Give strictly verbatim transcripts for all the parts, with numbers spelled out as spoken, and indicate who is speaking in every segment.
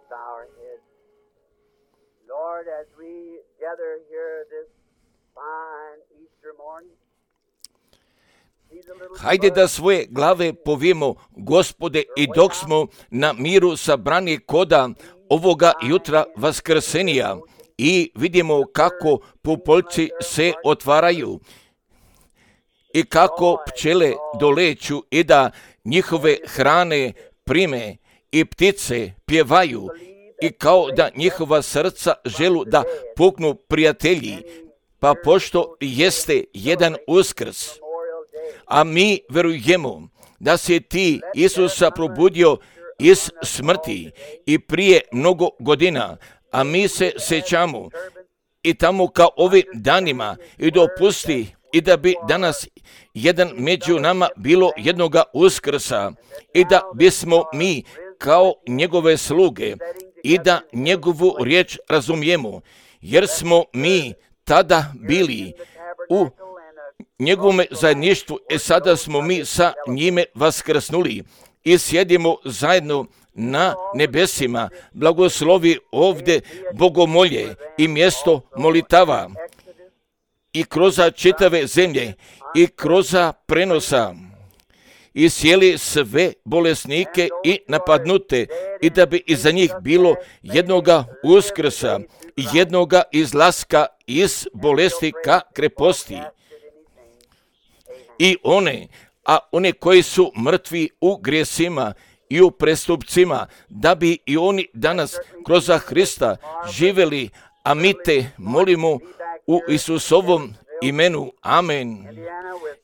Speaker 1: bow our heads. Lord, as we gather here this fine Easter morning,
Speaker 2: hajde da svoje glave povijemo, Gospode, i dok smo na miru sabrani koda ovoga jutra vaskrsenija i vidimo kako pupoljci se otvaraju i kako pčele doleću i da njihove hrane prime i ptice pjevaju i kao da njihova srca želu da puknu prijatelji, pa pošto jeste jedan Uskrs, a mi verujemo da si ti Isusa probudio iz smrti i prije mnogo godina, a mi se sjećamo i tamo kao ovim danima i dopusti i da bi danas jedan među nama bilo jednoga Uskrsa i da bismo mi kao njegove sluge i da njegovu riječ razumijemo, jer smo mi tada bili u njegovom zajedništvu, e sada smo mi sa njime vaskrsnuli i sjedimo zajedno na nebesima. Blagoslovi ovdje bogomolje i mjesto molitava i kroz čitave zemlje i kroz prenosa i sjeli sve bolesnike i napadnute i da bi iza njih bilo jednoga Uskrsa, jednoga izlaska iz bolesti ka kreposti. I one, a one koji su mrtvi u grijesima i u prestupcima, da bi i oni danas kroz Hrista živjeli, a mi te molimo u Isusovom imenu. Amen.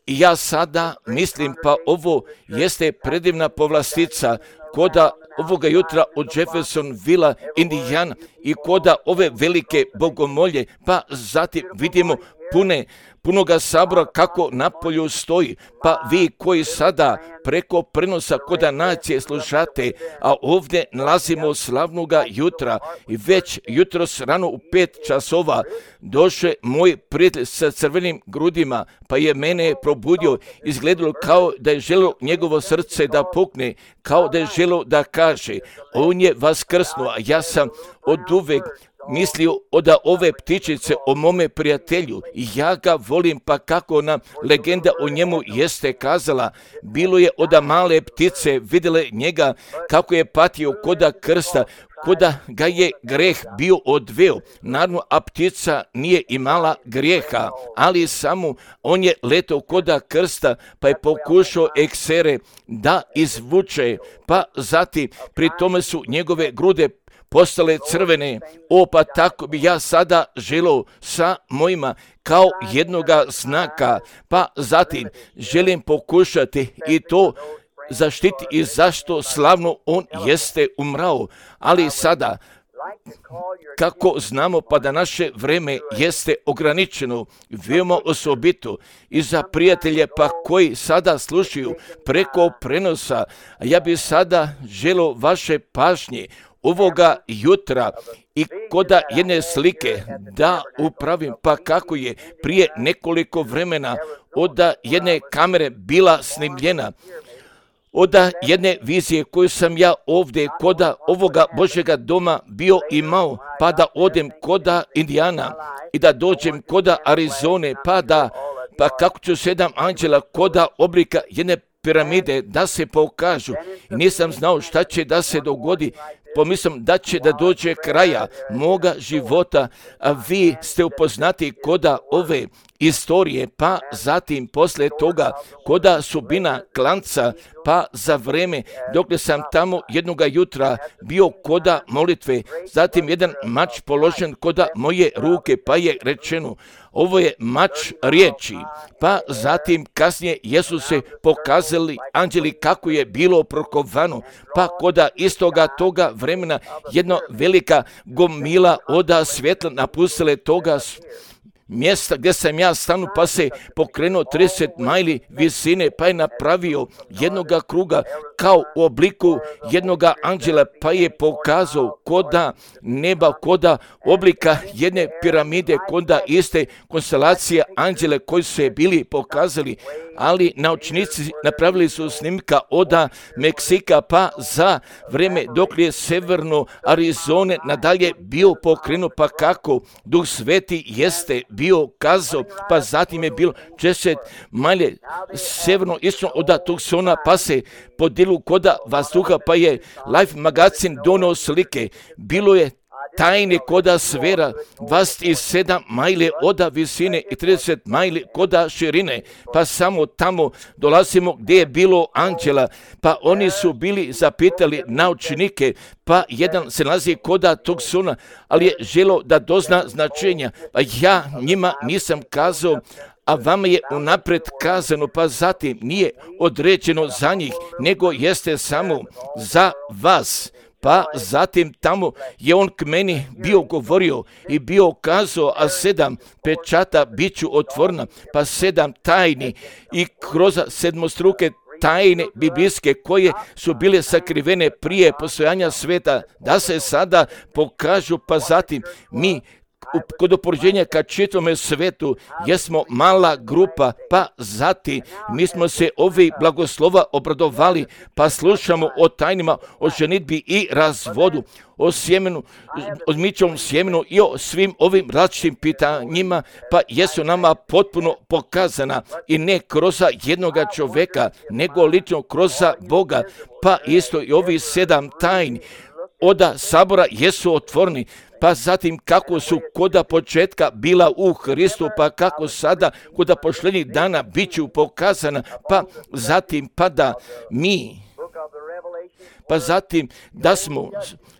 Speaker 2: I ja sada mislim, pa ovo jeste predivna povlastica koda ovoga jutra od Jeffersonvilla, Indiana, i koda ove velike bogomolje, pa zatim vidimo pune punoga sabora kako na polju stoji, pa vi koji sada preko prenosa koda nacije slušate, a ovdje nalazimo slavnoga jutra i već jutros rano u pet časova došao moj prijatelj sa crvenim grudima, pa je mene probudio, izgledalo kao da je želio njegovo srce da pukne, kao da je želio da kaže, on je vaskrsnuo, a ja sam od uvek mislio da ove ptičice o mome prijatelju, ja ga volim, pa kako nam legenda o njemu jeste kazala, bilo je oda male ptice vidjele njega kako je patio koda krsta, koda ga je greh bio odveo. Naravno, a ptica nije imala grijeha, ali samo on je letao koda krsta, pa je pokušao eksere da izvuče, pa zatim pri tome su njegove grude postale crvene. O, pa tako bi ja sada želio sa mojima kao jednoga znaka, pa zatim želim pokušati i to zaštiti i zašto slavno on jeste umrao. Ali sada, kako znamo pa da naše vreme jeste ograničeno, veoma osobito i za prijatelje pa koji sada slušaju preko prenosa, ja bi sada želio vaše pažnje ovoga jutra i koda jedne slike da upravim, pa kako je prije nekoliko vremena od jedne kamere bila snimljena, od jedne vizije koju sam ja ovdje koda ovoga Božjega doma bio imao, pa da odem koda Indijana i da dođem koda Arizone, pa da, pa kako ću sedam anđela koda oblika jedne piramide da se pokažu. I nisam znao šta će da se dogodi, pomislim da će da dođe kraja moga života, a vi ste upoznati koda ove istorije, pa zatim posle toga koda sudbina klanca, pa za vreme dok sam tamo jednoga jutra bio koda molitve, zatim jedan mač položen koda moje ruke, pa je rečeno, ovo je mač riječi, pa zatim kasnije Jesu se pokazali anđeli kako je bilo prokovano, pa koda istoga toga vremena jedna velika gomila oda svjetla napustile toga mjesta gdje sam ja stanu, pa se pokrenuo trideset majli visine, pa je napravio jednoga kruga kao u obliku jednoga anđela, pa je pokazao koda neba, koda oblika jedne piramide, koda iste konstelacije anđele koji su je bili pokazali, ali naučnici napravili su snimka od Meksika pa za vreme dok je severno Arizone nadalje bio pokrenut, pa kako Duh Sveti jeste bio kazao, pa zatim je bilo četrdeset majle severno isto od Tucsona, pa se podijelilo koda vazduha, pa je Life magazin donio slike, bilo je tajne koda sfera, dvadeset sedam majle od visine i trideset majli koda širine, pa samo tamo dolazimo gdje je bilo anđela, pa oni su bili zapitali naučnike, pa jedan se nalazi koda Tucsona, ali je želo da dozna značenja, pa ja njima nisam kazao, a vama je unapred kazano, pa zatim nije određeno za njih, nego jeste samo za vas. Pa zatim tamo je on k meni bio govorio i bio kazao, a sedam pečata bit ću otvorena, pa sedam tajni i kroz sedmostruke tajne biblijske koje su bile sakrivene prije postojanja sveta, da se sada pokažu, pa zatim mi kod opoređenja ka čitavome svetu jesmo mala grupa, pa zatim mi smo se ovi blagoslova obradovali, pa slušamo o tajnima, o ženidbi i razvodu, o sjemenu, o mičovom sjemenu i o svim ovim različitim pitanjima, pa jesu nama potpuno pokazana i ne kroz jednoga čovjeka, nego lično kroz Boga, pa isto i ovi sedam tajni oda sabora jesu otvoreni, pa zatim kako su koda početka bila u Hristu, pa kako sada koda pošljenih dana bit ću pokazana, pa zatim pa da mi, pa zatim da smo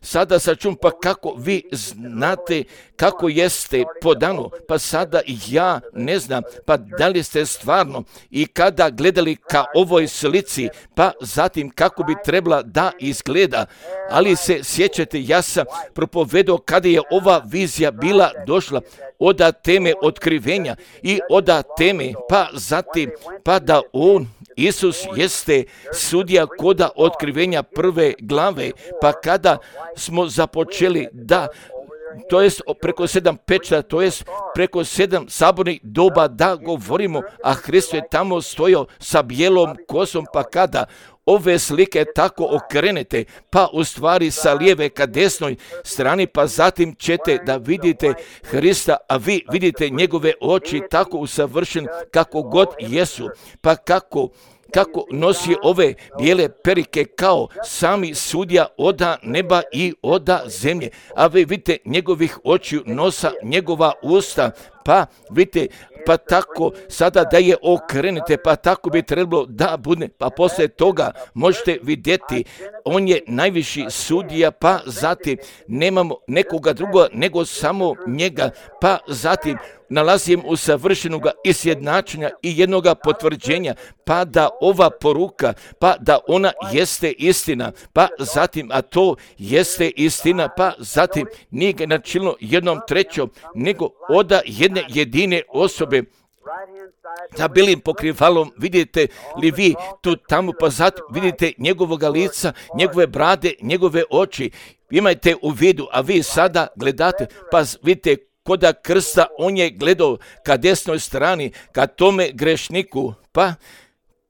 Speaker 2: sada sačun, pa kako vi znate kako jeste podano, pa sada ja ne znam, pa da li ste stvarno i kada gledali ka ovoj slici, pa zatim kako bi trebala da izgleda, ali se sjećate, ja sam propovedao kada je ova vizija bila došla od teme otkrivenja i od teme, pa zatim pa da on Isus jeste sudija koda otkrivenja prve glave, pa kada smo započeli da, to jest preko sedam pečata, to jest preko sedam sabornih doba da govorimo, a Hristo je tamo stojao sa bijelom kosom, pa kada ove slike tako okrenete, pa u stvari sa lijeve ka desnoj strani, pa zatim ćete da vidite Hrista, a vi vidite njegove oči tako usavršene kako god jesu, pa kako kako nosi ove bijele perike kao sami sudija oda neba i oda zemlje, a vi vidite njegovih očiju, nosa, njegova usta, pa vidite, pa tako sada da je okrenete, pa tako bi trebalo da bude, pa poslije toga možete vidjeti, on je najviši sudija, pa zatim nemamo nekoga drugoga nego samo njega, pa zatim nalazim u savršenoga izjednačenja i jednoga potvrđenja, pa da ova poruka, pa da ona jeste istina, pa zatim, a to jeste istina, pa zatim nije ga načinilo jednom trećom, nego oda jedne jedine osobe, za bilim pokrivalom, vidite li vi tu tamo, pa zatim vidite njegovoga lica, njegove brade, njegove oči, imajte u vidu, a vi sada gledate, pa vidite koda krsta, on je gledao ka desnoj strani, ka tome grešniku, pa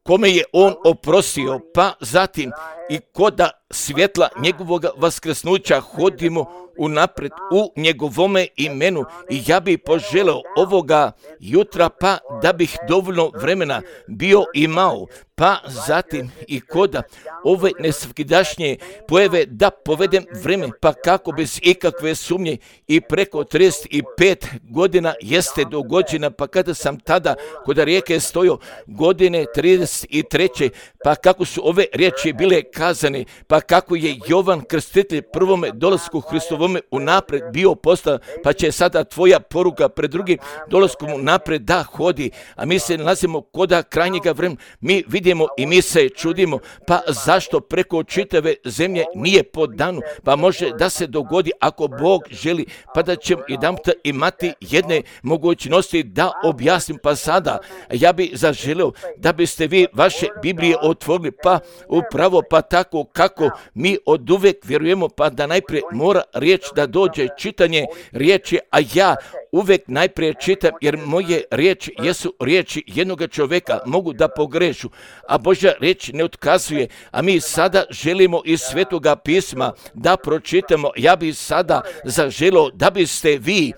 Speaker 2: kome je on oprostio, pa zatim i koda svjetla njegovog vaskrsnuća hodimo unapred u njegovome imenu i ja bih poželeo ovoga jutra, pa da bih dovoljno vremena bio imao, pa zatim i koda ove nesvakidašnje pojave da povedem vreme, pa kako bez ikakve sumnje i preko trideset pet godina jeste dogođena, pa kada sam tada kod rijeke stojao godine trideset treće, pa kako su ove riječi bile kazane, pa pa kako je Jovan Krstitelj prvome dolasku Hristovome unapred bio postavljen, pa će sada tvoja poruka pred drugim dolaskom unapred da hodi, a mi se nalazimo koda krajnjega vremena, mi vidimo i mi se čudimo, pa zašto preko čitave zemlje nije po danu, pa može da se dogodi ako Bog želi, pa da ćemo jedanputa imati jedne mogućnosti da objasnim, pa sada ja bi zaželio da biste vi vaše Biblije otvorili, pa upravo pa tako kako mi od uvek vjerujemo, pa da najprije mora riječ da dođe čitanje riječi, a ja uvek najprije čitam, jer moje riječi jesu riječi jednoga čovjeka, mogu da pogrešu, a Božja riječ ne otkazuje, a mi sada želimo iz Svetoga pisma da pročitamo. Ja bi sada zaželio da biste vi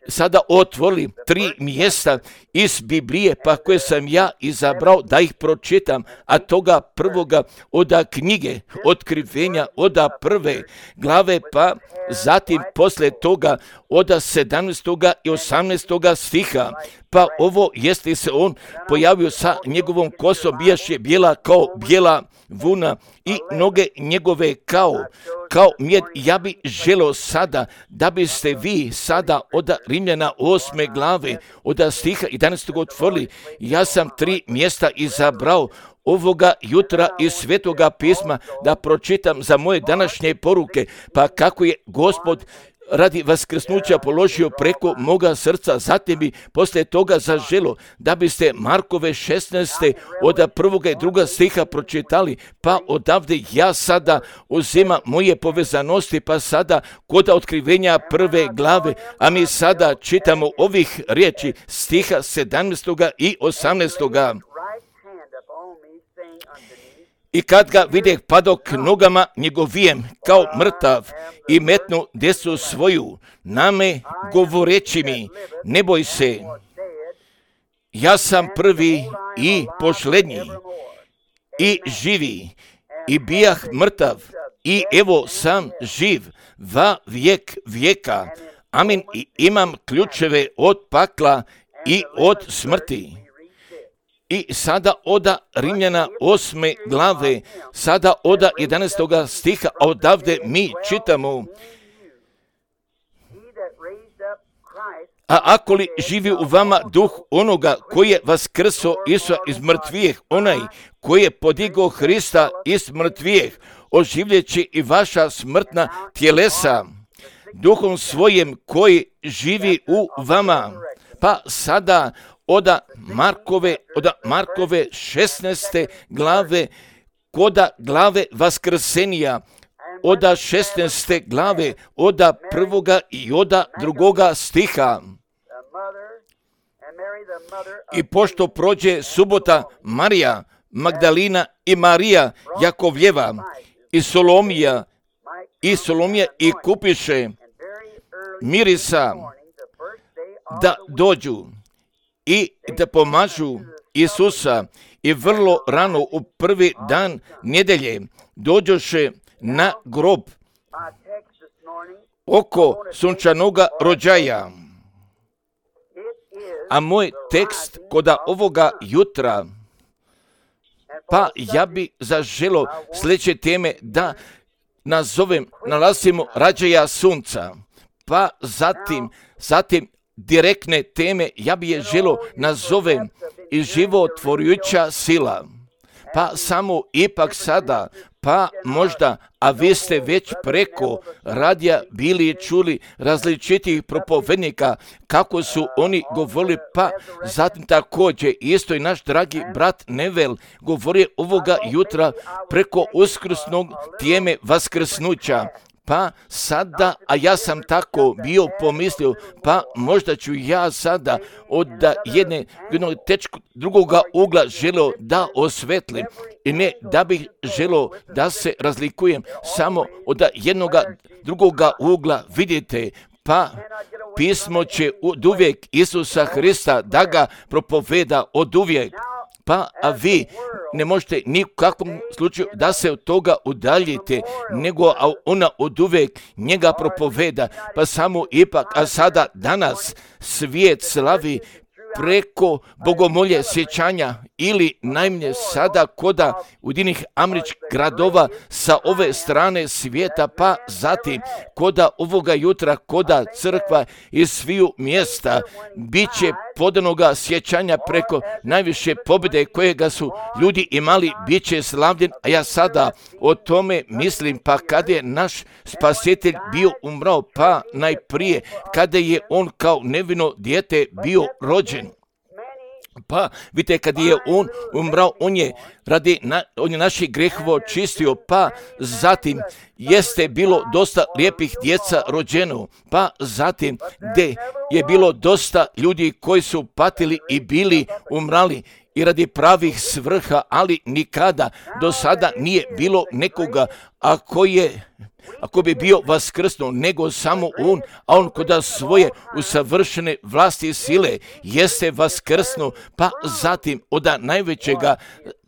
Speaker 2: sada otvorili tri mjesta iz Biblije, pa koje sam ja izabrao da ih pročitam, a toga prvoga oda knjige Otkrivenja, oda prve glave, pa zatim poslije toga oda sedamnaestoga i osamnaestoga stiha, pa ovo jeste se on pojavio sa njegovom kosom, bijaše bijela kao bijela vuna i noge njegove kao, kao mjed. Ja bi želio sada da biste vi sada od Rimljana osme glave, od stiha jedanaestog otvorili. Ja sam tri mjesta izabrao ovoga jutra iz Svetoga pisma da pročitam za moje današnje poruke, pa kako je Gospod radi vaskrsnuća položio preko moga srca, zatim bi poslije toga zaželo da biste Markove šesnaeste od prvoga i druga stiha pročitali, pa odavde ja sada uzima moje povezanosti, pa sada kod Otkrivenja prve glave, a mi sada čitamo ovih riječi stiha sedamnaestoga i osamnaestoga. I kad ga videh padok nogama njegovijem kao mrtav i metnu desu svoju na me govoreći mi, ne boj se, ja sam prvi i posljednji i živi i bijah mrtav i evo sam živ va vijek vijeka. Amin. I imam ključeve od pakla i od smrti. I sada oda Rimljana osme glave, sada oda jedanaestoga stiha, a odavde mi čitamo: a ako li živi u vama duh onoga koji je vaskrso Isusa iz mrtvijeh, onaj koji je podigao Hrista iz mrtvijeh, oživljeći i vaša smrtna tjelesa duhom svojim koji živi u vama. Pa sada oda Markove, oda Markove šesnaeste glave, koda glave vaskrsenija, oda šesnaeste glave, oda prvoga i oda drugoga stiha. I pošto prođe subota, Marija Magdalina i Marija Jakovljeva i Solomija i Solomija i kupiše mirisa da dođu i da pomažu Isusa, i vrlo rano u prvi dan nedjelje dođoše na grob oko sunčanoga rođaja. A moj tekst koda ovoga jutra, pa ja bi zaželo sljedeće teme da nazovem, nalazimo rađaja sunca, pa zatim, zatim direktne teme, ja bi je želo nazovem i životvorujuća sila. Pa samo ipak sada, pa možda, a vi ste već preko radija bili čuli različitih propovednika kako su oni govorili, pa zatim također isto i naš dragi brat Nevel govori ovoga jutra preko uskrsnog teme vaskrsnuća. Pa sada, a ja sam tako bio pomislio, pa možda ću ja sada od jedne, jednog tečku drugoga ugla želio da osvetlim, i ne da bih želio da se razlikujem samo od jednoga drugoga ugla. Vidite, pa pismo će od uvijek Isusa Hrista da ga propoveda od uvijek. Pa a vi ne možete ni u kakvom slučaju da se od toga udaljite, nego a ona od uvijek njega propoveda. Pa samo ipak, a sada danas svijet slavi preko bogomolje sjećanja ili najmanje sada koda Ujedinjenih američkih gradova sa ove strane svijeta, pa zatim koda ovoga jutra, koda crkva iz sviju mjesta bit će podanoga sjećanja preko najviše pobjede kojega su ljudi imali, bit će slavljen, a ja sada o tome mislim, pa kada je naš spasitelj bio umrao, pa najprije kada je on kao nevino dijete bio rođen. Pa vidite, kad je on umrao, on je radi na, on je naših grehova očistio, pa zatim jeste bilo dosta lijepih djeca rođeno, pa zatim gdje je bilo dosta ljudi koji su patili i bili umrali i radi pravih svrha, ali nikada do sada nije bilo nekoga ako je ako bi bio vaskrsnuo, nego samo on, a on koda svoje usavršene vlasti i sile jeste vaskrsnuo, pa zatim od najvećega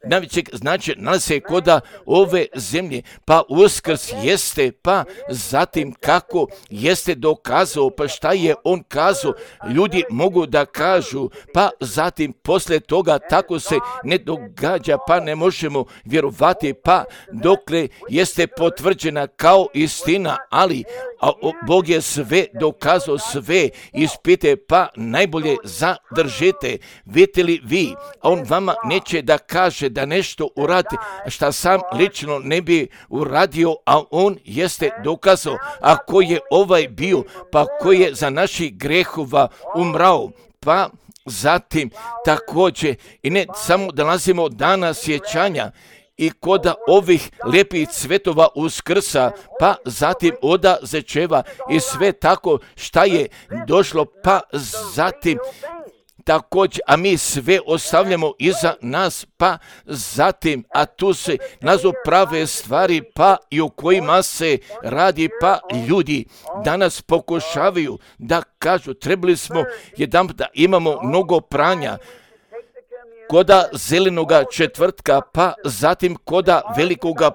Speaker 2: najvećeg znači nalaze koda ove zemlje, pa uskrs jeste, pa zatim kako jeste dokazao, pa šta je on kazao, ljudi mogu da kažu, pa zatim posle toga tako se ne događa, pa ne možemo vjerovati, pa dokle jeste potvrđena kao istina, ali a Bog je sve dokazao, sve ispite, pa najbolje zadržite. Vidite li vi, a on vama neće da kaže da nešto uradi šta sam lično ne bi uradio, a on jeste dokazao, a ko je ovaj bio, pa ko je za naših grehova umrao, pa zatim također i ne samo da nalazimo dana sjećanja i koda ovih lijepih cvetova uskrsa, pa zatim oda zečeva i sve tako šta je došlo, pa zatim također, a mi sve ostavljamo iza nas, pa zatim, a tu se nazo prave stvari, pa i o kojima se radi, pa ljudi danas pokušavaju da kažu, trebali smo jedan da imamo mnogo pranja, koda zelenoga četvrtka, pa zatim koda velikoga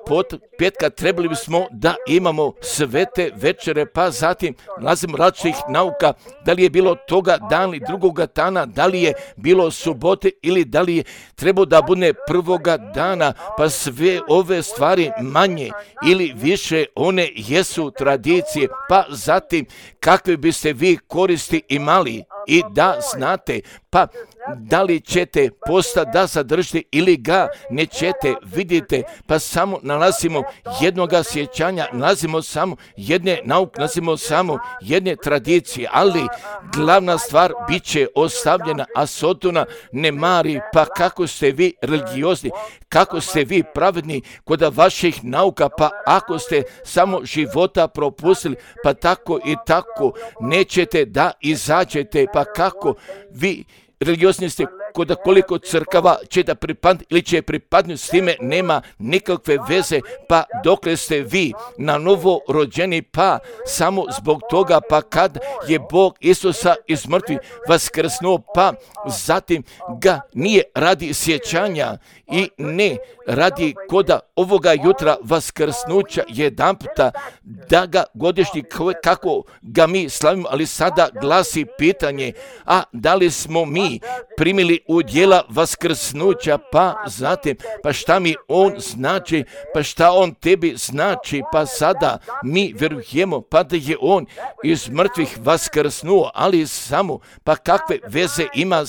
Speaker 2: petka trebali bismo da imamo svete večere, pa zatim nalazimo različitih nauka, da li je bilo toga dana ili drugoga dana, da li je bilo subote ili da li je trebao da bude prvoga dana, pa sve ove stvari manje ili više one jesu tradicije, pa zatim kakve biste vi koristi imali i da znate, pa da li ćete posta da zadržite ili ga nećete, vidite, pa samo nalazimo jednoga sjećanja, nalazimo samo jedne nauke, nalazimo samo jedne tradicije, ali glavna stvar bit će ostavljena, a Sotona ne mari, pa kako ste vi religiozni, kako ste vi pravedni kod vaših nauka, pa ako ste samo života propustili, pa tako i tako nećete da izađete, pa kako vi religiozni ste kod koliko crkava će da pripadne ili će pripadnuti, s time nema nikakve veze, pa dokle ste vi na novo rođeni, pa samo zbog toga, pa kad je Bog Isusa iz mrtvih vaskrsnuo, pa zatim ga nije radi sjećanja i ne radi koda ovoga jutra vaskrsnuća jedan puta da ga godišnji kako ga mi slavimo, ali sada glasi pitanje, a da li smo mi primili udjela vaskrsnuća, pa zatim, pa šta mi on znači, pa šta on tebi znači, pa sada mi vjerujemo, pa da je on iz mrtvih vaskrsnuo, ali samo, pa kakve veze ima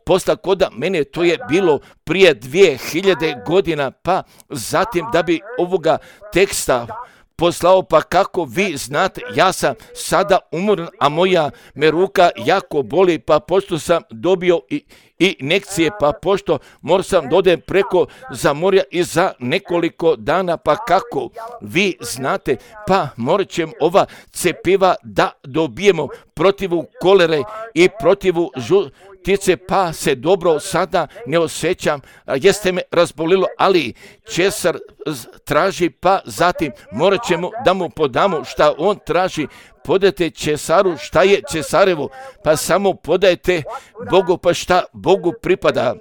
Speaker 2: posla koda mene, to je bilo prije dvije hiljade godina, pa zatim da bi ovoga teksta poslao, pa kako vi znate, ja sam sada umoran, a moja me ruka jako boli, pa pošto sam dobio i, i injekcije, pa pošto moram sam dodem preko za morja i za nekoliko dana, pa kako vi znate, pa morat ćemo ova cepiva da dobijemo protivu kolere i protivu žu, tice, pa se dobro sada ne osjećam, jeste me razbolilo, ali Cesar traži, pa zatim morat ćemo da mu podamo šta on traži, podajte Cesaru šta je Cesarevo, pa samo podajte Bogu pa šta Bogu pripada.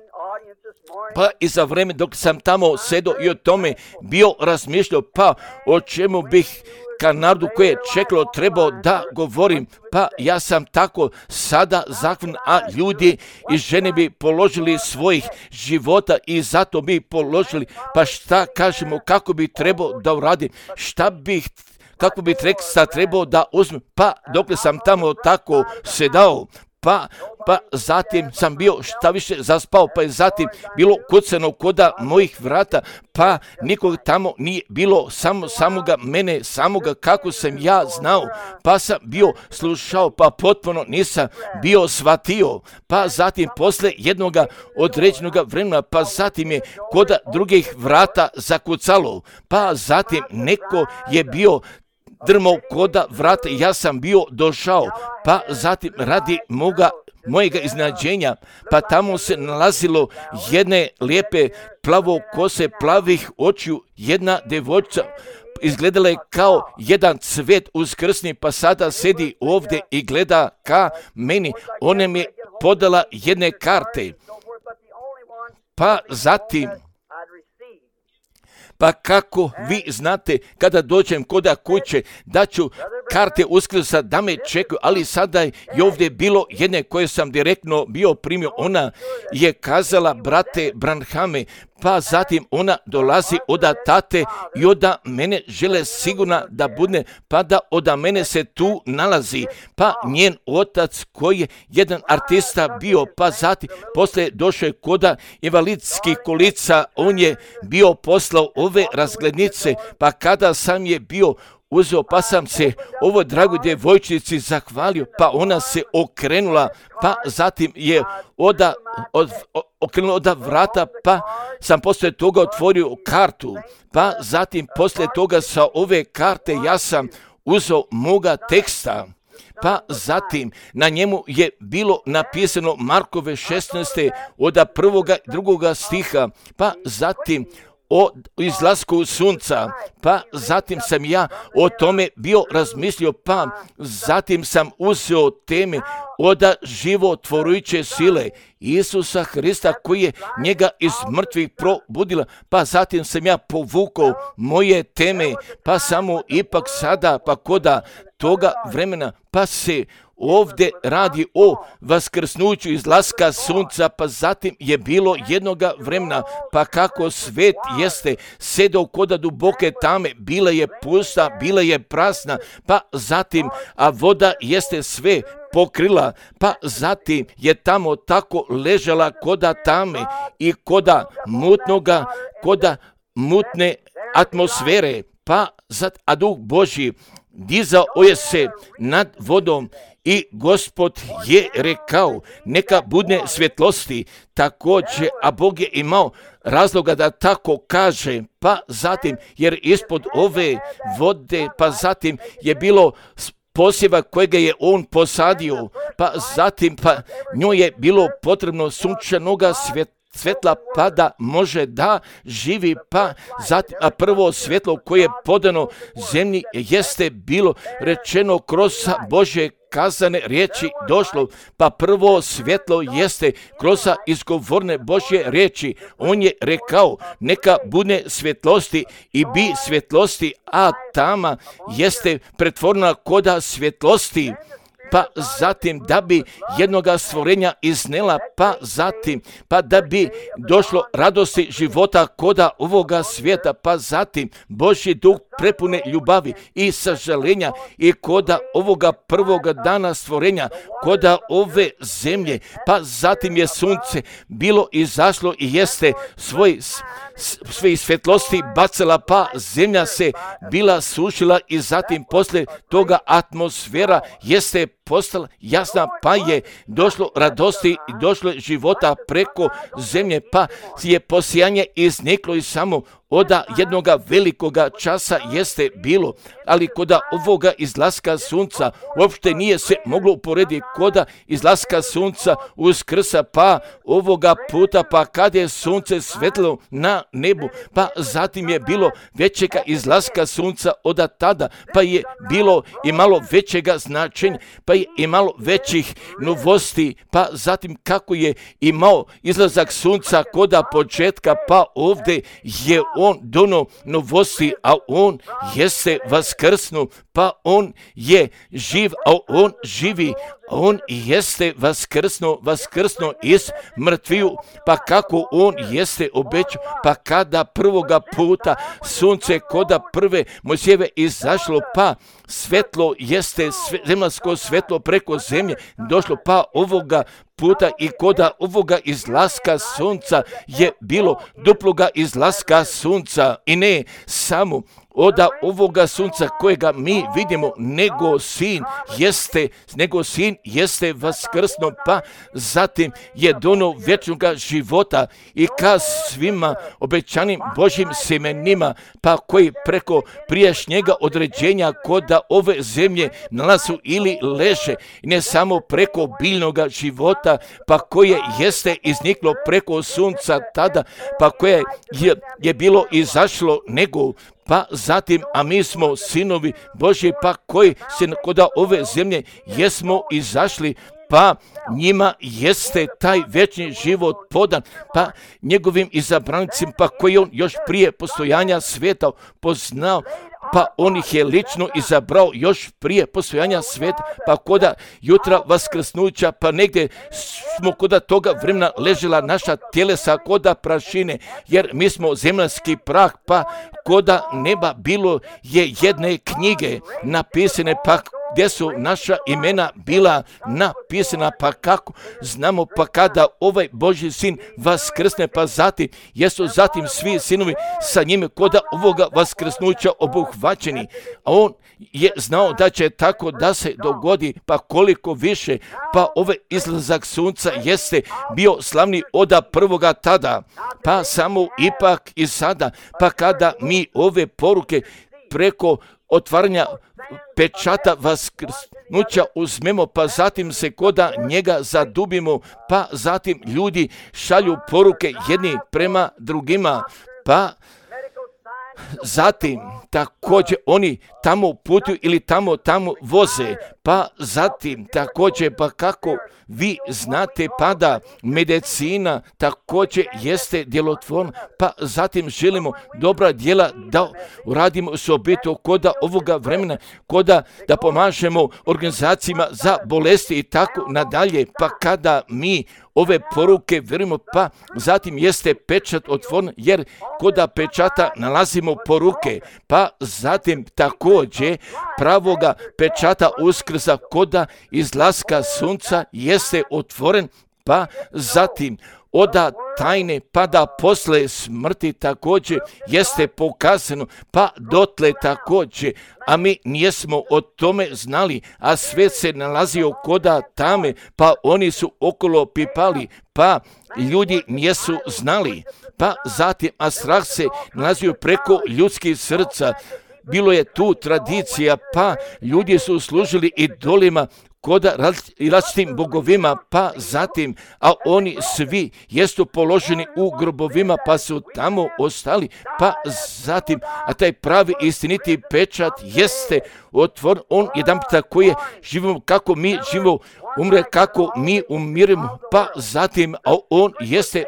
Speaker 2: Pa i za vreme dok sam tamo sedo i o tome bio razmišljao, pa o čemu bih ka narodu koje je čekalo trebao da govorim. Pa ja sam tako sada zahvalan, a ljudi i žene bi položili svojih života i zato bi položili. Pa šta kažemo, kako bi trebao da uradim, šta bih, kako bi teksta trebao da uzmem, pa dokle sam tamo tako sedao, pa, pa zatim sam bio šta više zaspao, pa je zatim bilo kucano koda mojih vrata, pa nikog tamo nije bilo, samo samoga mene, samoga kako sam ja znao, pa sam bio slušao, pa potpuno nisam bio shvatio, pa zatim posle jednoga određenog vremena, pa zatim je koda drugih vrata zakucalo, pa zatim neko je bio drmao koda vrata, ja sam bio došao, pa zatim radi moga, mojega iznenađenja, pa tamo se nalazilo jedne lijepe plavo kose, plavih očiju, jedna devojčica, izgledala je kao jedan cvet uskrsni, pa sada sedi ovdje i gleda ka meni, ona mi je podala jedne karte, pa zatim, pa kako vi znate, kada dođem koda kuće, da ću karte Uskrsa da me čekaju, ali sada je ovdje bilo jedne koje sam direktno bio primio, ona je kazala, brate Branhame, pa zatim ona dolazi od tate i od mene žele sigurna da bude, pa da od mene se tu nalazi, pa njen otac koji je jedan artista bio, pa zatim posle došao je koda invalidskih kolica, on je bio poslao ove razglednice, pa kada sam je bio uzeo, pa sam se ovoj dragoj djevojčici zahvalio, pa ona se okrenula, pa zatim je oda, od, okrenula od vrata, pa sam posle toga otvorio kartu, pa zatim posle toga sa ove karte ja sam uzeo moga teksta, pa zatim na njemu je bilo napisano Markove šesnaeste od prvoga i drugoga stiha, pa zatim o izlasku sunca, pa zatim sam ja o tome bio razmislio, pa zatim sam uzeo teme od životvorujuće sile Isusa Hrista koji je njega iz mrtvih probudila, pa zatim sam ja povukao moje teme, pa samo ipak sada, pa koda toga vremena, pa se ovdje radi o vaskrsnuću izlaska sunca, pa zatim je bilo jednoga vremena, pa kako svet jeste sedao koda duboke tame, bila je pusta, bila je prasna, pa zatim, a voda jeste sve pokrila, pa zatim je tamo tako ležala koda tame i koda mutnoga, koda mutne atmosfere, pa zat, a Duh Božji dizao je se nad vodom i Gospod je rekao, neka bude svjetlosti, također, a Bog je imao razloga da tako kaže, pa zatim, jer ispod ove vode, pa zatim je bilo posjeva kojega je on posadio, pa zatim, pa njoj je bilo potrebno sunčanoga svjetla, svetla pa da može da živi, pa zatim, a prvo svjetlo koje je podano zemlji jeste bilo rečeno kroz Božje kazane riječi došlo, pa prvo svjetlo jeste kroz izgovorne Božje riječi. On je rekao, neka bude svjetlosti i bi svjetlosti, a tama jeste pretvorena koda svjetlosti. Pa zatim da bi jednoga stvorenja iznela, pa zatim, pa da bi došlo radosti života koda ovoga svijeta, pa zatim Božji duh prepune ljubavi i sažalenja i koda ovoga prvoga dana stvorenja, koda ove zemlje, pa zatim je sunce bilo izašlo i jeste svoj sve svjetlosti bacala, pa zemlja se bila sušila i zatim posle toga atmosfera jeste postala jasna, pa je došlo radosti i došlo života preko zemlje, pa je posijanje izniklo i samo od jednoga velikoga časa jeste bilo, ali koda ovoga izlaska sunca uopšte nije se moglo uporediti koda izlaska sunca Uskrsa, pa ovoga puta, pa kad je sunce svetlo na nebu, pa zatim je bilo većega izlaska sunca od tada, pa je bilo i malo većega značenja, pa je imalo većih novosti, pa zatim kako je imao izlazak sunca koda početka, pa ovdje je on dono novosti, a on jeste vaskrsnu, pa on je živ, a on živi, on jeste vaskrsno, vaskrsno iz mrtviju, pa kako on jeste obećao, pa kada prvoga puta sunce koda prve Mojsijeve izašlo, pa svetlo jeste, sve, zemaljsko svetlo preko zemlje došlo, pa ovoga puta i koda ovoga izlaska sunca je bilo duploga izlaska sunca i ne samo oda ovoga sunca kojega mi vidimo, nego sin jeste, nego sin jeste vaskrsno, pa zatim je dono vječnoga života i ka svima obećanim Božjim semenima, pa koji preko prijašnjega određenja koda ove zemlje nalazu ili leže, ne samo preko biljnoga života, pa koje jeste izniklo preko sunca tada, pa koje je, je bilo izašlo, nego pa zatim, a mi smo sinovi Božji, pa koji se koda ove zemlje jesmo izašli, pa njima jeste taj vječni život podan, pa njegovim izabranicima, pa koji on još prije postojanja svijeta poznao, pa on ih je lično izabrao još prije postojanja svijeta, pa koda jutra vaskrsnuća, pa negdje smo koda toga vremena ležela naša tjelesa koda prašine, jer mi smo zemaljski prah, pa koda neba bilo je jedne knjige napisane, pa gdje su naša imena bila napisana, pa kako znamo, pa kada ovaj Božji sin vaskrsne, pa zatim jesu zatim svi sinovi sa njime koda ovoga vaskrsnuća obuhvaćeni, a on je znao da će tako da se dogodi, pa koliko više, pa ovaj izlazak sunca jeste bio slavni oda prvoga tada, pa samo ipak i sada, pa kada mi ove poruke preko otvaranja pečata vaskrsnuća uzmemo, pa zatim se koda njega zadubimo, pa zatim ljudi šalju poruke jedni prema drugima, pa zatim također oni tamo putuju ili tamo tamo voze, pa zatim također, pa kako vi znate, pada medicina također jeste djelotvorna, pa zatim želimo dobra djela da uradimo osobito koda ovoga vremena, koda da pomažemo organizacijama za bolesti i tako nadalje, pa kada mi ove poruke vjerujemo, pa zatim jeste pečat otvoren, jer koda pečata nalazimo poruke, pa zatim također pravoga pečata uskrsa koda izlaska sunca jeste otvoren, pa zatim oda tajne, pa da posle smrti također jeste pokazano, pa dotle također, a mi nijesmo o tome znali, a svet se nalazio koda tame, pa oni su okolo pipali, pa ljudi nijesu znali, pa zatim, a strah se nalazio preko ljudskih srca, bilo je tu tradicija, pa ljudi su služili idolima, koda različitim bogovima, pa zatim, a oni svi jesu položeni u grobovima, pa su tamo ostali, pa zatim, a taj pravi istiniti pečat jeste otvoren, on jedan puta koji je živimo kako mi živimo, umre kako mi umiremo, pa zatim, a on jeste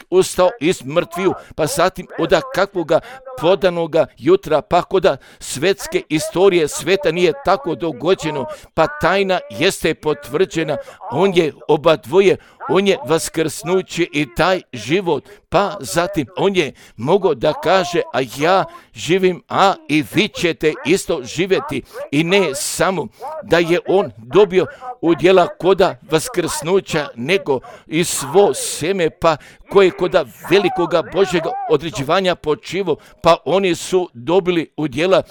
Speaker 2: ustao iz mrtviju, pa zatim oda kakvoga podanoga jutra, pa koda svetske istorije sveta nije tako dogođeno, pa tajna jeste potvrđena, on je oba dvoje, on je vaskrsnuće i taj život, pa zatim on je mogao da kaže, a ja živim, a i vi ćete isto živjeti, i ne samo da je on dobio udjela koda vaskrsnuća, nego i svo seme, pa koje koda velikoga Božjega određivanja počivo, pa oni su dobili udjela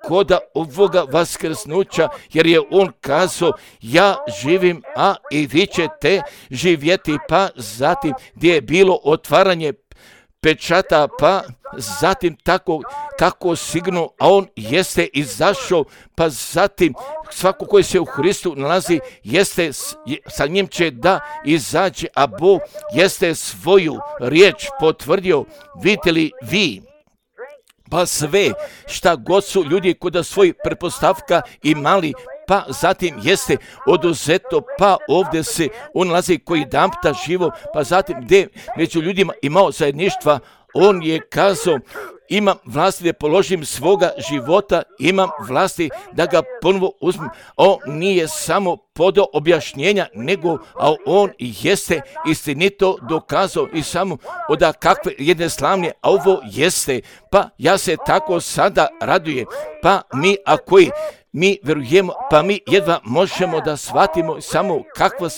Speaker 2: koda ovoga vaskrsnuća, jer je on kazao, ja živim, a i vi ćete živjeti, pa zatim gdje je bilo otvaranje pečata, pa zatim tako, tako sigurno, a on jeste izašao, pa zatim svako koji se u Hristu nalazi, jeste, sa njim će da izađe, a Bog jeste svoju riječ potvrdio. Vidite li vi? Pa sve šta god su ljudi kod svoj pretpostavka imali, pa zatim jeste oduzeto, pa ovdje se on nalazi koji damta živo, pa zatim gdje među ljudima imao zajedništva, on je kazao, imam vlasti da položim svoga života, imam vlasti da ga ponovo uzmem. On nije samo podao objašnjenja, nego a on jeste istinito dokazao i samo od kakve jedne slavne, a ovo jeste, pa ja se tako sada radujem, pa mi ako i mi verujemo, pa mi jedva možemo da shvatimo samo kakva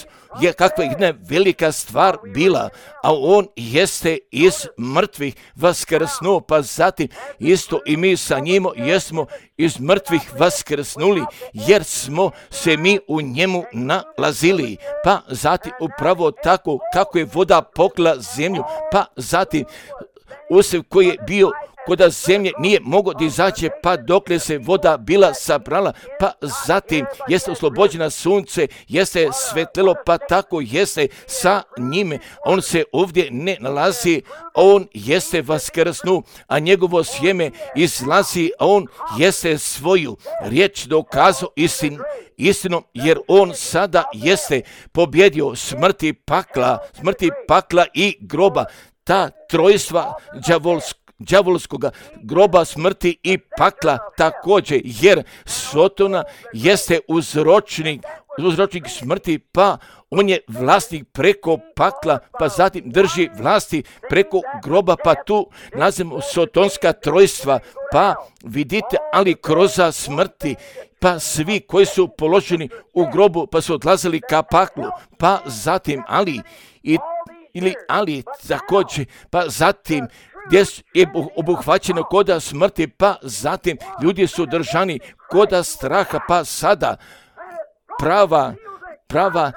Speaker 2: je kakva jedna velika stvar bila, a on jeste iz mrtvih vaskrsnuo, pa zatim isto i mi sa njim jesmo iz mrtvih vaskrsnuli, jer smo se mi u njemu nalazili, pa zatim upravo tako kako je voda pokrila zemlju, pa zatim usjev koji je bio koda zemlje nije mogao da izađe, pa dokle se voda bila sabrala, pa zatim jeste oslobođena sunce, jeste svetlelo, pa tako jeste sa njime. On se ovdje ne nalazi, on jeste vaskrsnu, a njegovo sjeme izlazi, a on jeste svoju riječ dokazao istin, istinom, jer on sada jeste pobjedio smrti pakla, smrti pakla i groba, ta trojstva đavolska, đavolskoga groba, smrti i pakla također, jer Sotona jeste uzročnik, uzročnik smrti, pa on je vlasnik preko pakla, pa zatim drži vlasti preko groba, pa tu nazivamo sotonska trojstva, pa vidite, ali kroz smrti, pa svi koji su položeni u grobu, pa su odlazili ka paklu, pa zatim ali i ili ali također, pa zatim gdje je obuhvaćeno koda smrti, pa zatim ljudi su držani koda straha, pa sada prava, prava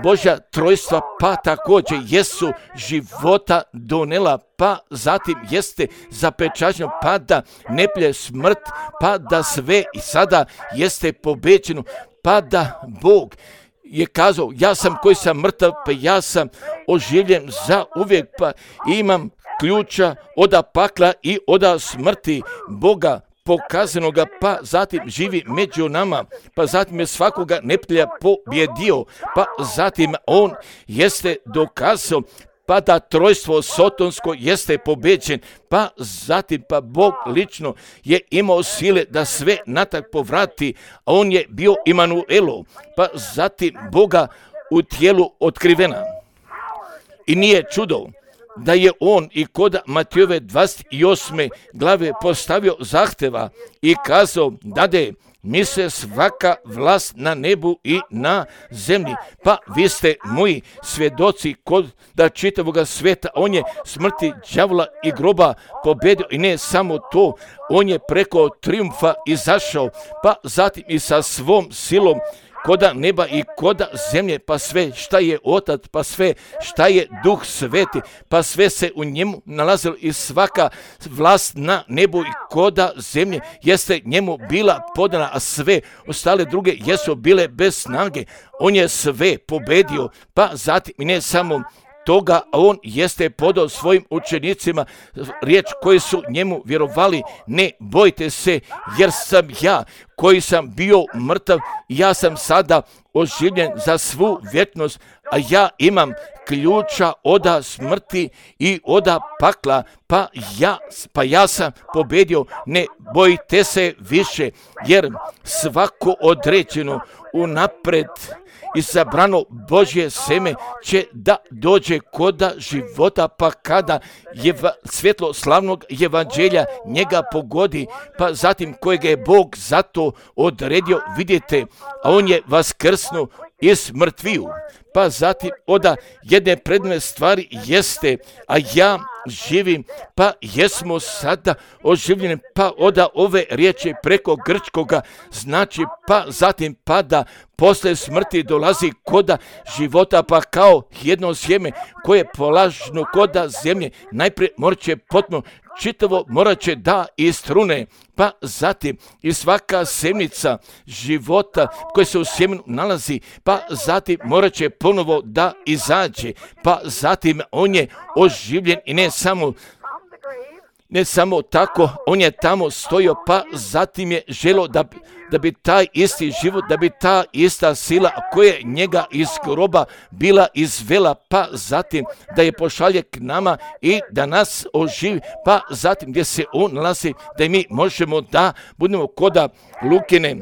Speaker 2: Božja trojstva, pa također jesu života donela, pa zatim jeste zapečaćeno, pa da ne plje smrt, pa da sve i sada jeste pobeđeno, pa da Bog je kazao, ja sam koji sam mrtav, pa ja sam oživljen za uvijek, pa imam ključa oda pakla i oda smrti Boga pokazanoga, pa zatim živi među nama, pa zatim je svakoga neprijatelja pobjedio, pa zatim on jeste dokazao, pa da trojstvo sotonsko jeste pobeđen, pa zatim pa Bog lično je imao sile da sve natak povrati, a on je bio Imanuelo, pa zatim Boga u tijelu otkrivena. I nije čudo da je on i kod Matijove dvadeset osme glave postavio zahteva i kazao, dade mi se svaka vlast na nebu i na zemlji, pa vi ste moji svjedoci kod da čitavoga svijeta. On je smrti đavola i groba pobedio i ne samo to, on je preko triumfa izašao, pa zatim i sa svom silom koda neba i koda zemlje, pa sve šta je Otac, pa sve šta je Duh Sveti, pa sve se u njemu nalazilo i svaka vlast na nebu i koda zemlje jeste njemu bila podana, a sve ostale druge jesu bile bez snage. On je sve pobedio, pa zatim i ne samo toga, a on jeste podao svojim učenicima riječ koji su njemu vjerovali, ne bojte se, jer sam ja koji sam bio mrtav, ja sam sada oživljen za svu vječnost, a ja imam ključa oda smrti i oda pakla, pa ja, pa ja sam pobjedio, ne bojte se više, jer svako određeno unapred i sabrano Božje seme će da dođe koda života, pa kada jeva, svjetlo slavnog evanđelja njega pogodi, pa zatim kojega je Bog zato odredio, vidite, a on je vaskrsnuo iz mrtviju, pa zatim oda jedne predne stvari jeste, a ja živim, pa jesmo sada oživljeni, pa oda ove riječi preko grčkoga znači, pa zatim pada posle smrti dolazi koda života, pa kao jedno sjeme koje je polažno koda zemlje, najprije morat će potpuno čitavo morat će da istrune, pa zatim i svaka semnica života koja se u sjemenu nalazi, pa zatim morat će ponovo da izađe, pa zatim on je oživljen i ne samo Ne samo tako, on je tamo stojio, pa zatim je želo da da bi taj isti život, da bi ta ista sila koja je njega iz groba bila izvela, pa zatim da je pošalje k nama i da nas oživi, pa zatim gdje se on nalazi, da mi možemo da budemo koda Lukine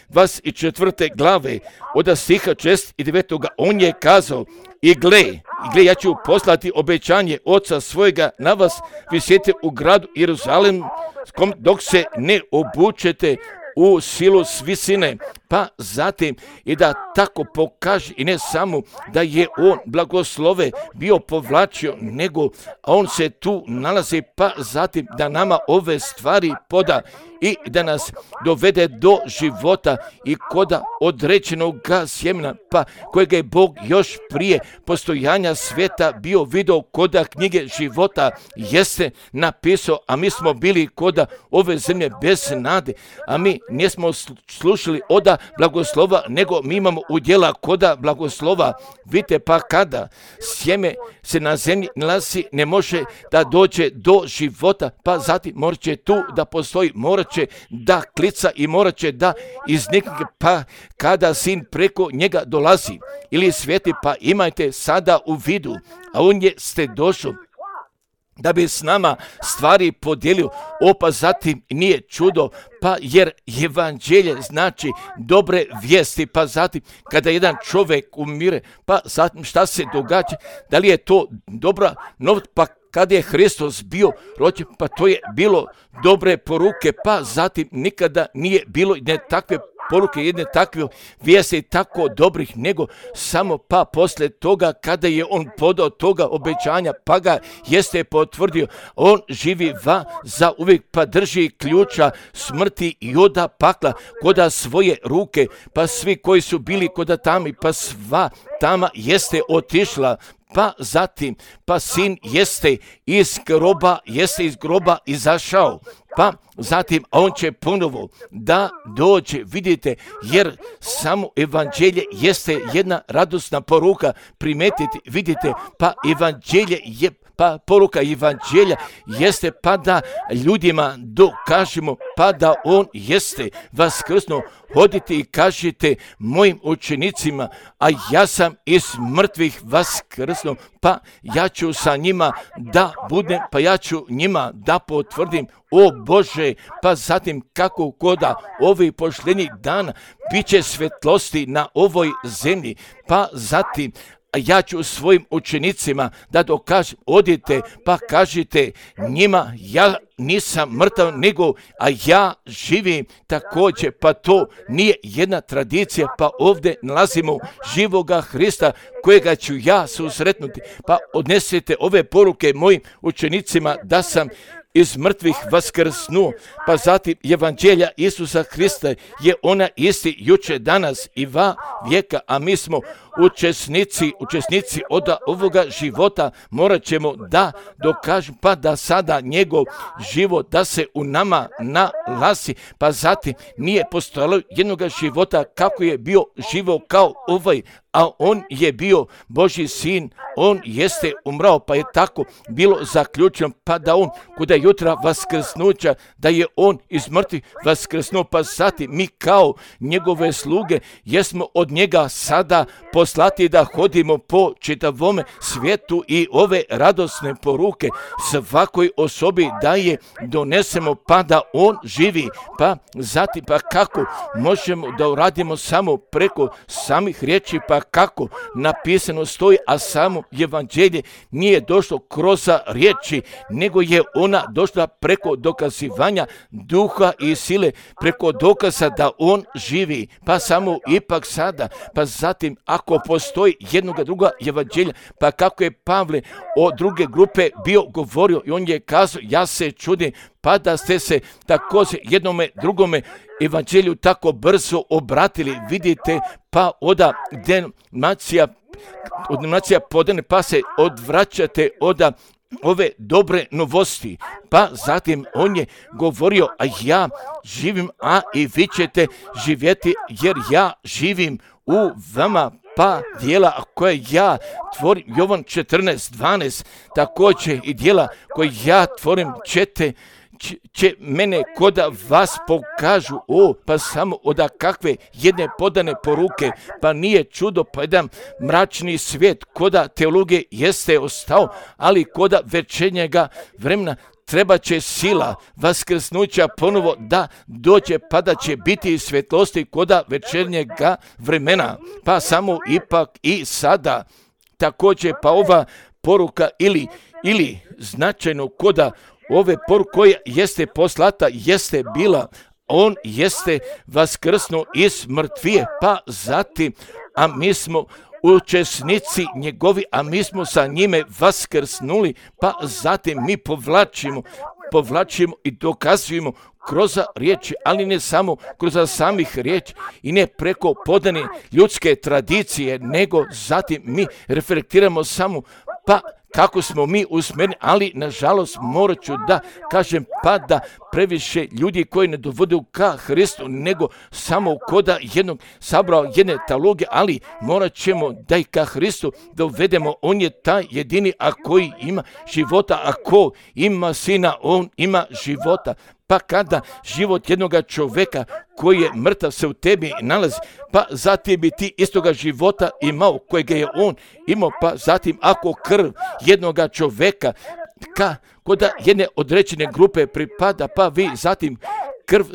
Speaker 2: dvadeset četvrte glave od stiha šest i devet. On je kazao, i gle, i gle, ja ću poslati obećanje oca svojega na vas, vi sjedite u gradu Jeruzalemskom dok se ne obučete u silu s visine, pa zatim i da tako pokaže i ne samo da je on blagoslove bio povlačio, nego on se tu nalazi, pa zatim da nama ove stvari poda i da nas dovede do života i koda određenog sjemena, pa kojega je Bog još prije postojanja sveta bio video koda knjige života jeste napisao, a mi smo bili koda ove zemlje bez nade, a mi nismo slušali oda blagoslova, nego mi imamo udjela koda blagoslova. Vidite, pa kada sjeme se na zemlji nalazi, ne može da dođe do života, pa zatim morat će tu da postoji, morat će da klica i morat će da iznikne, pa kada sin preko njega dolazi ili sveti, pa imajte sada u vidu, a on je ste došao da bi s nama stvari podijelio, opa zatim nije čudo, pa jer evanđelje znači dobre vijesti, pa zatim kada jedan čovjek umire, pa zatim šta se događa, da li je to dobra novost, pa kada je Hristos bio rođen, pa to je bilo dobre poruke, pa zatim nikada nije bilo ne takve poruke, jedne takve vijesti tako dobrih, nego samo pa posle toga kada je on podao toga obećanja, pa ga jeste potvrdio, on živi va za uvijek, pa drži ključa smrti i oda pakla koda svoje ruke, pa svi koji su bili koda tami, pa sva tama jeste otišla, pa zatim, pa sin jeste iz groba, jeste iz groba izašao, pa zatim on će ponovo da dođe, vidite, jer samo evanđelje jeste jedna radosna poruka, primetite, vidite, pa evanđelje je, pa poruka evanđelja jeste pa da ljudima dokažemo, pa da on jeste vaskrsnuo. Hodite i kažite mojim učenicima, a ja sam iz mrtvih vaskrsnuo, pa ja ću sa njima da budem, pa ja ću njima da potvrdim, o Bože, pa zatim kako koda ovih pošljenih dana bit će svetlosti na ovoj zemlji, pa zatim ja ću svojim učenicima da dokažem, odite pa kažite njima, ja nisam mrtav, nego a ja živim također, pa to nije jedna tradicija, pa ovdje nalazimo živoga Hrista kojega ću ja susretnuti, pa odnesete ove poruke mojim učenicima da sam iz mrtvih vaskrsnuo, pa zatim evanđelja Isusa Hrista je ona isti juče, danas i va vijeka, a mi smo učesnici, učesnici od ovoga života, morat ćemo da dokažemo, pa da sada njegov život da se u nama nalazi, pa zatim nije postojalo jednog života kako je bio živo kao ovaj, a on je bio Božji sin, on jeste umrao, pa je tako bilo zaključeno, pa da on kuda jutra vaskrsnuća, da je on iz mrtvih vaskrsnuo, pa zatim mi kao njegove sluge jesmo od njega sada poslati da hodimo po čitavome svijetu i ove radosne poruke svakoj osobi da je donesemo, pa da on živi, pa zatim pa kako možemo da uradimo samo preko samih riječi, pa kako napisano stoji, a samo evanđelje nije došlo kroz riječi, nego je ona došla preko dokazivanja duha i sile, preko dokaza da on živi, pa samo ipak sada, pa zatim ako postoji jednoga druga evanđelja, pa kako je Pavle o druge grupe bio govorio i on je kazao, ja se čudim, pa da ste se također jednome drugome evanđelju tako brzo obratili, vidite, pa oda denominacija, denominacija podane, pa se odvraćate oda ove dobre novosti, pa zatim on je govorio, a ja živim, a i vi ćete živjeti, jer ja živim u vama, pa dijela koje ja tvorim, Jovan četrnaest dvanaest, također i dijela koje ja tvorim ćete će, će mene koda vas pokažu, o, pa samo oda kakve jedne podane poruke, pa nije čudo, pa jedan mračni svijet, koda teologije jeste ostao, ali koda večernjega vremena treba će sila vaskrsnuća ponovo da dođe, pa da će biti svjetlosti koda večernjega vremena, pa samo ipak i sada. Također pa ova poruka ili, ili značajno koda ove poruke koja jeste poslata, jeste bila, on jeste vaskrsnuo iz mrtvije, pa zatim, a mi smo učesnici njegovi, a mi smo sa njime vaskrsnuli, pa zatim mi povlačimo, povlačimo i dokazujemo kroz riječi, ali ne samo kroz samih riječi i ne preko podane ljudske tradicije, nego zatim mi reflektiramo samo pa kako smo mi usmjereni, ali nažalost morat ću da kažem pa da previše ljudi koji ne dovode ka Hristu, nego samo koda jednog sabrao jedne teologije, ali morat ćemo da i ka Hristu dovedemo. On je taj jedini, a koji ima života, a ko ima sina, on ima života. Pa kada život jednoga čovjeka koji je mrtav se u tebi nalazi, pa zatim bi ti istoga života imao kojega je on imao, pa zatim ako krv jednoga čovjeka ka koda jedne određene grupe pripada, pa vi zatim krv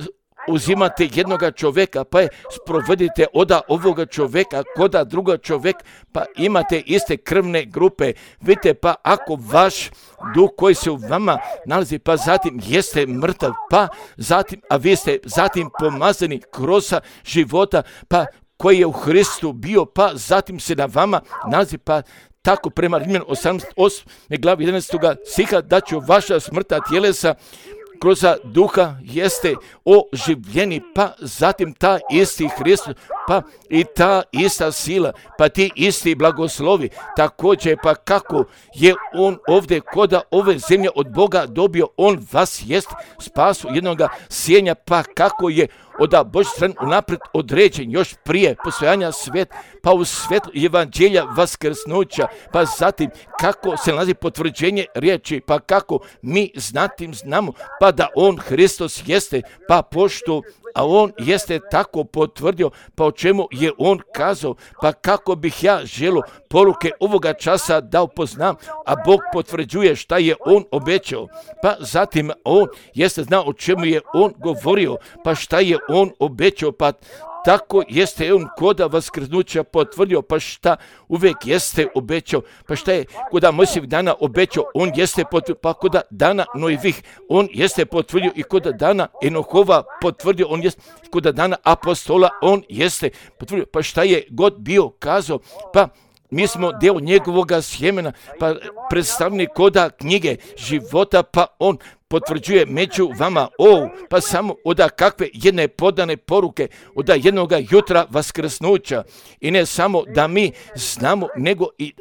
Speaker 2: uzimate jednoga čovjeka, pa je sprovedite oda ovoga čovjeka, koda druga čovjek, pa imate iste krvne grupe. Vidite, pa ako vaš duh koji se u vama nalazi, pa zatim jeste mrtav, pa zatim, a vi ste zatim pomazani kroz života, pa koji je u Hristu bio, pa zatim se na vama nalazi, pa tako prema Rimljanima osamnaest osme glavi jedanaestog stiha da će vaša smrtna tjelesa kroz duha jeste oživljeni, pa zatim ta isti Hristos, pa i ta ista sila, pa ti isti blagoslovi, također pa kako je on ovdje koda ove zemlje od Boga dobio, on vas jest spasu jednoga sjenja, pa kako je od Božje strane unaprijed određen još prije postojanja svijeta, pa u svjetlu evanđelja vaskrsnuća, pa zatim kako se nalazi potvrđenje riječi, pa kako mi znatim znamo, pa da on Hristos jeste, pa pošto, a on jeste tako potvrdio, pa o čemu je on kazao, pa kako bih ja želio poruke ovoga časa da upoznam, a Bog potvrđuje šta je on obećao, pa zatim on jeste znao o čemu je on govorio, pa šta je on obećao, pa tako jeste on koda vaskrsnuća potvrdio, pa šta uvijek jeste obećao, pa šta je koda Mojsijevih dana obećao, on jeste potvrdio, pa koda dana Nojevih, on jeste potvrdio i koda dana Enohova potvrdio, on jeste koda dana apostola, on jeste potvrdio, pa šta je god bio kazao, pa mi smo dio njegovoga sjemena, pa predstavni koda knjige života, pa on potvrđuje među vama, o, pa samo oda kakve jedne podane poruke, oda jednoga jutra vaskrsnuća, i ne samo da mi znamo, nego i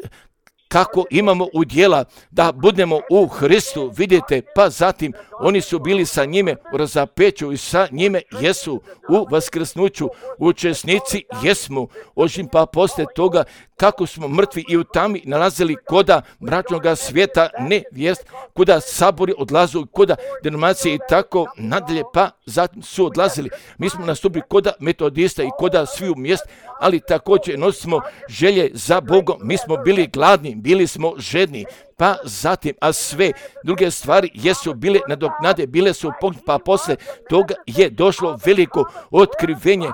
Speaker 2: kako imamo udjela da budemo u Hristu, vidite, pa zatim oni su bili sa njime u razapeću i sa njime jesu u vaskrsnuću, učesnici jesmo, ožim pa poslije toga kako smo mrtvi i u tami nalazili koda mračnoga svijeta, ne vijest, koda sabori odlazu, koda denominacije i tako nadalje, pa zatim su odlazili. Mi smo nastupili koda metodista i koda svi u mjest, ali također nosimo želje za Bogom, mi smo bili gladni, bili smo žedni, pa zatim, a sve druge stvari jesu bile nadoknade, bile su pognute, pa poslije toga je došlo veliko otkrivenje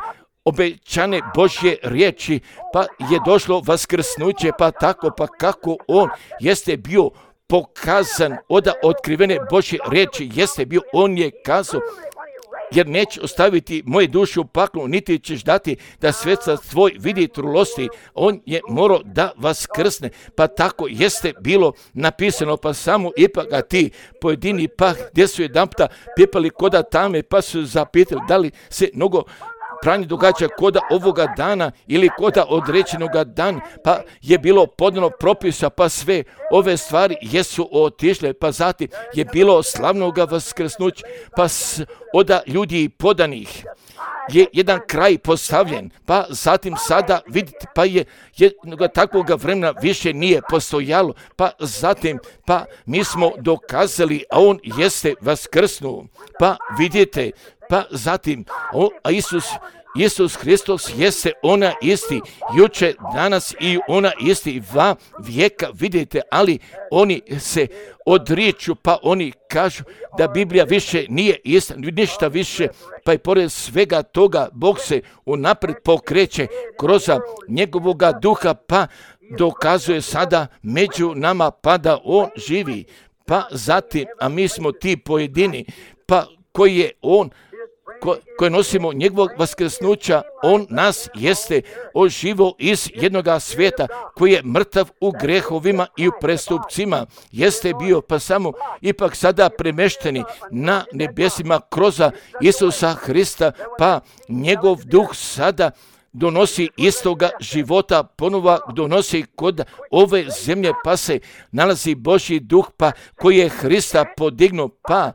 Speaker 2: obećane Božje riječi, pa je došlo vaskrsnuće, pa tako, pa kako on jeste bio pokazan od otkrivene Božje riječi, jeste bio, on je kazao, jer neće ostaviti moje duše u paklu, niti ćeš dati da svetac tvoj vidi trulosti. On je morao da vaskrsne, pa tako jeste bilo napisano, pa samo ipak a ti pojedini pa gdje su jedanputa pjepali koda tame, pa su zapitali da li se mnogo pranje događa koda ovoga dana ili koda određenoga dana, pa je bilo podano propisa, pa sve ove stvari jesu otišle, pa zatim je bilo slavnoga vaskrsnuća, pa s, oda ljudi podanih. je jedan kraj postavljen, pa zatim sada vidite, pa je jednoga takvoga vremena više nije postojalo, pa zatim, pa mi smo dokazali, a on jeste vaskrsnuo, pa vidite, pa zatim, o, a Isus, Isus Hristos jeste ona isti, juče, danas i ona isti va vijeka, vidite, ali oni se odriču, pa oni kažu da Biblija više nije ista, ništa više, pa i pored svega toga Bog se unaprijed pokreće kroz njegovoga duha, pa dokazuje sada među nama, pa da on živi, pa zatim, a mi smo ti pojedini, pa koji je on, Ko, koje nosimo njegovog vaskrsnuća, on nas jeste oživo iz jednoga svijeta koji je mrtav u grehovima i u prestupcima, jeste bio pa samo ipak sada premešteni na nebesima kroz Isusa Hrista, pa njegov duh sada donosi istoga života, ponova donosi kod ove zemlje, pa se nalazi Božji duh, pa koji je Hrista podignuo, pa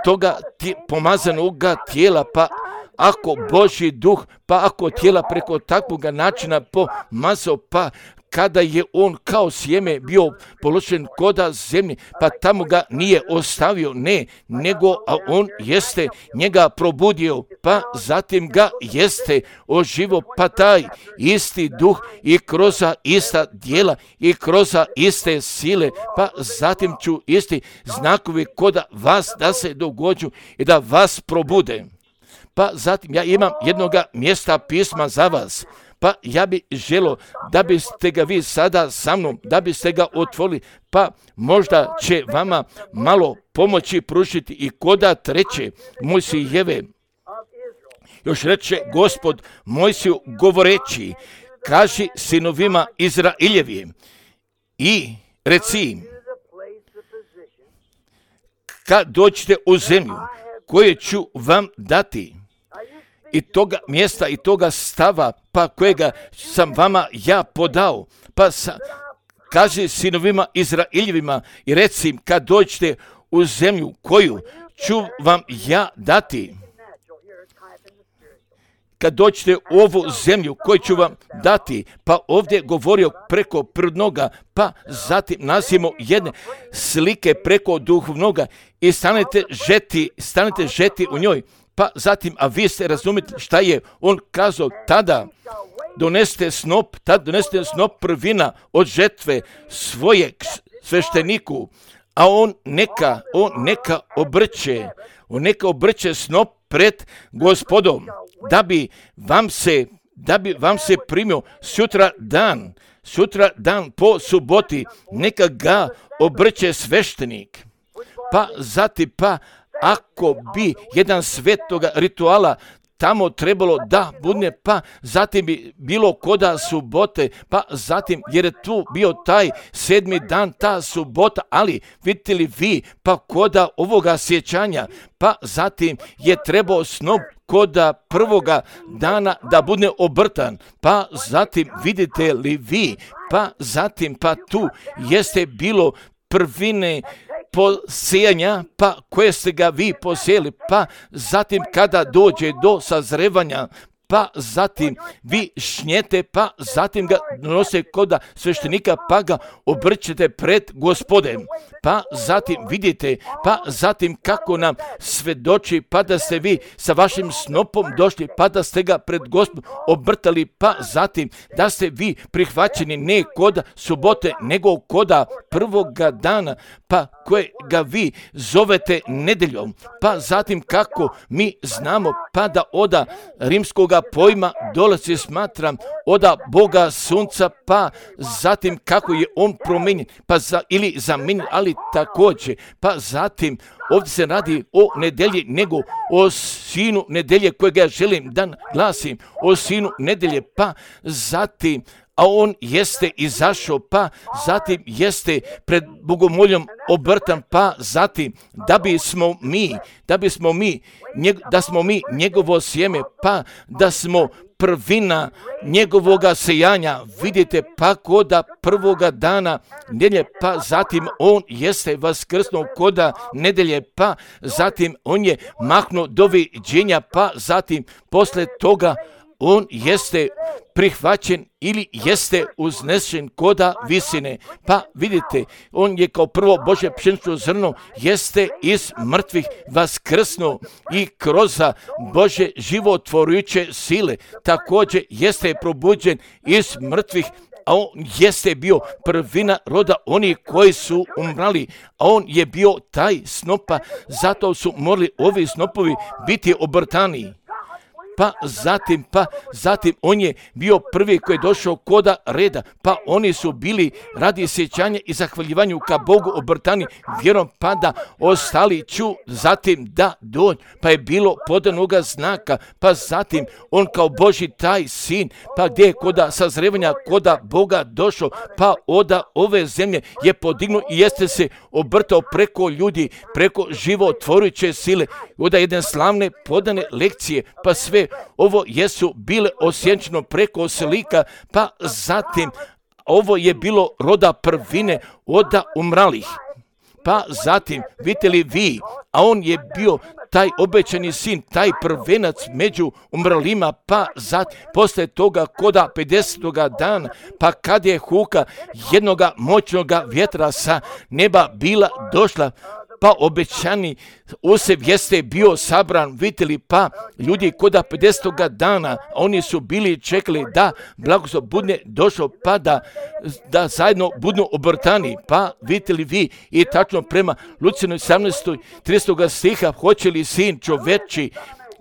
Speaker 2: toga tje, pomazanoga tijela, pa ako Božji duh, pa ako tijela preko takvog načina pomazao, pa kada je on kao sjeme bio položen koda zemlji, pa tamo ga nije ostavio, ne, nego a on jeste njega probudio, pa zatim ga jeste oživo, pa taj isti duh i kroz ista djela i kroz iste sile, pa zatim ću isti znakovi koda vas da se dogođu i da vas probude. Pa zatim ja imam jednoga mjesta pisma za vas, pa ja bi želo da biste ga vi sada sa mnom, da biste ga otvorili, pa možda će vama malo pomoći pružiti i koda treće Mojsijeve. Još reče Gospod Mojsiju govoreći, kaži sinovima Izraeljevim i reci im, kad dođete u zemlju koju ću vam dati, i toga mjesta i toga stava, pa kojega sam vama ja podao, pa sa, kaži sinovima Izraeljevima i reci im, kad dođete u zemlju koju ću vam ja dati, kad dođete u ovu zemlju koju ću vam dati, pa ovdje govorio preko prirodnoga, pa zatim nasimo jedne slike preko duhovnoga i stanete žeti, stanete žeti u njoj, pa zatim, a vi ste razumjeti šta je on kazao tada, donesite snop, tad donesite snop prvina od žetve svojeg svešteniku, a on neka, on neka obrće, on neka obrće snop pred Gospodom, da bi vam se, da bi vam se primio sutra dan, sutra dan po suboti, neka ga obrće sveštenik. Pa zatim, pa ako bi jedan svetoga rituala tamo trebalo da bude, pa zatim bi bilo koda subote, pa zatim, jer je tu bio taj sedmi dan, ta subota, ali vidite li vi, pa koda ovoga sjećanja, pa zatim je trebao snop koda prvoga dana da bude obrtan, pa zatim vidite li vi, pa zatim, pa tu jeste bilo prvine posijanja, pa koje ste ga vi posijeli, pa zatim kada dođe do sazrevanja, pa zatim vi šnjete, pa zatim ga donose koda sveštenika, pa ga obrćete pred Gospodem, pa zatim vidite, pa zatim kako nam svedoči, pa da ste vi sa vašim snopom došli, pa da ste ga pred Gospodom obrtali, pa zatim da ste vi prihvaćeni ne koda subote, nego koda prvoga dana, pa koje ga vi zovete nedeljom, pa zatim kako mi znamo, pa da oda rimskoga pojma dolazi, smatram, oda Boga sunca, pa zatim kako je on promijenjen, pa za, ili zamijenjen, ali također, pa zatim ovdje se radi o nedelji, nego o sinu nedelje kojega ja želim da glasim, o sinu nedelje, pa zatim, a on jeste izašao, pa zatim jeste pred bogomoljom obrtan, pa zatim da bismo mi, da bismo mi, njeg, da smo mi njegovo sjeme, pa da smo prvina njegovoga sejanja. Vidite, pa koda prvoga dana nedjelje, pa zatim on jeste vaskrsnuo koda nedelje, pa zatim on je mahnuo doviđenja, pa zatim posle toga on jeste prihvaćen ili jeste uznešen koda visine. Pa vidite, on je kao prvo Božje pšenično zrno, jeste iz mrtvih vaskrsnuo i kroz Božje životvorujuće sile također jeste probuđen iz mrtvih, a on jeste bio prvina roda onih koji su umrali, a on je bio taj snopa, zato su morali ovi snopovi biti obrtani. Pa zatim, pa zatim on je bio prvi koji je došao koda reda, pa oni su bili radi sjećanja i zahvaljivanju ka Bogu obrtani vjerom, pa da ostali ću zatim da dođu, pa je bilo podanoga znaka, pa zatim on kao Božji taj sin, pa gdje je koda sazrevanja koda Boga došao, pa oda ove zemlje je podignuo i jeste se obrtao preko ljudi, preko životvorujuće sile, oda jedne slavne podane lekcije, pa sve ovo jesu bile osjenčeno preko slika, pa zatim ovo je bilo roda prvine oda umralih. Pa zatim, vidite li vi, a on je bio taj obećani sin, taj prvenac među umrlima, pa zatim, posle toga koda pedesetoga dana, pa kad je huka jednoga moćnoga vjetra sa neba bila došla, pa obećani usev jeste bio sabran, vidjeli, pa ljudi koda pedesetoga dana, oni su bili čekali da blagoslov budne došao, pa da, da zajedno budnu obrtani, pa vidjeli vi i tačno prema Lucijinoj sedamnaestoj tridesetog stiha, hoće li sin čoveči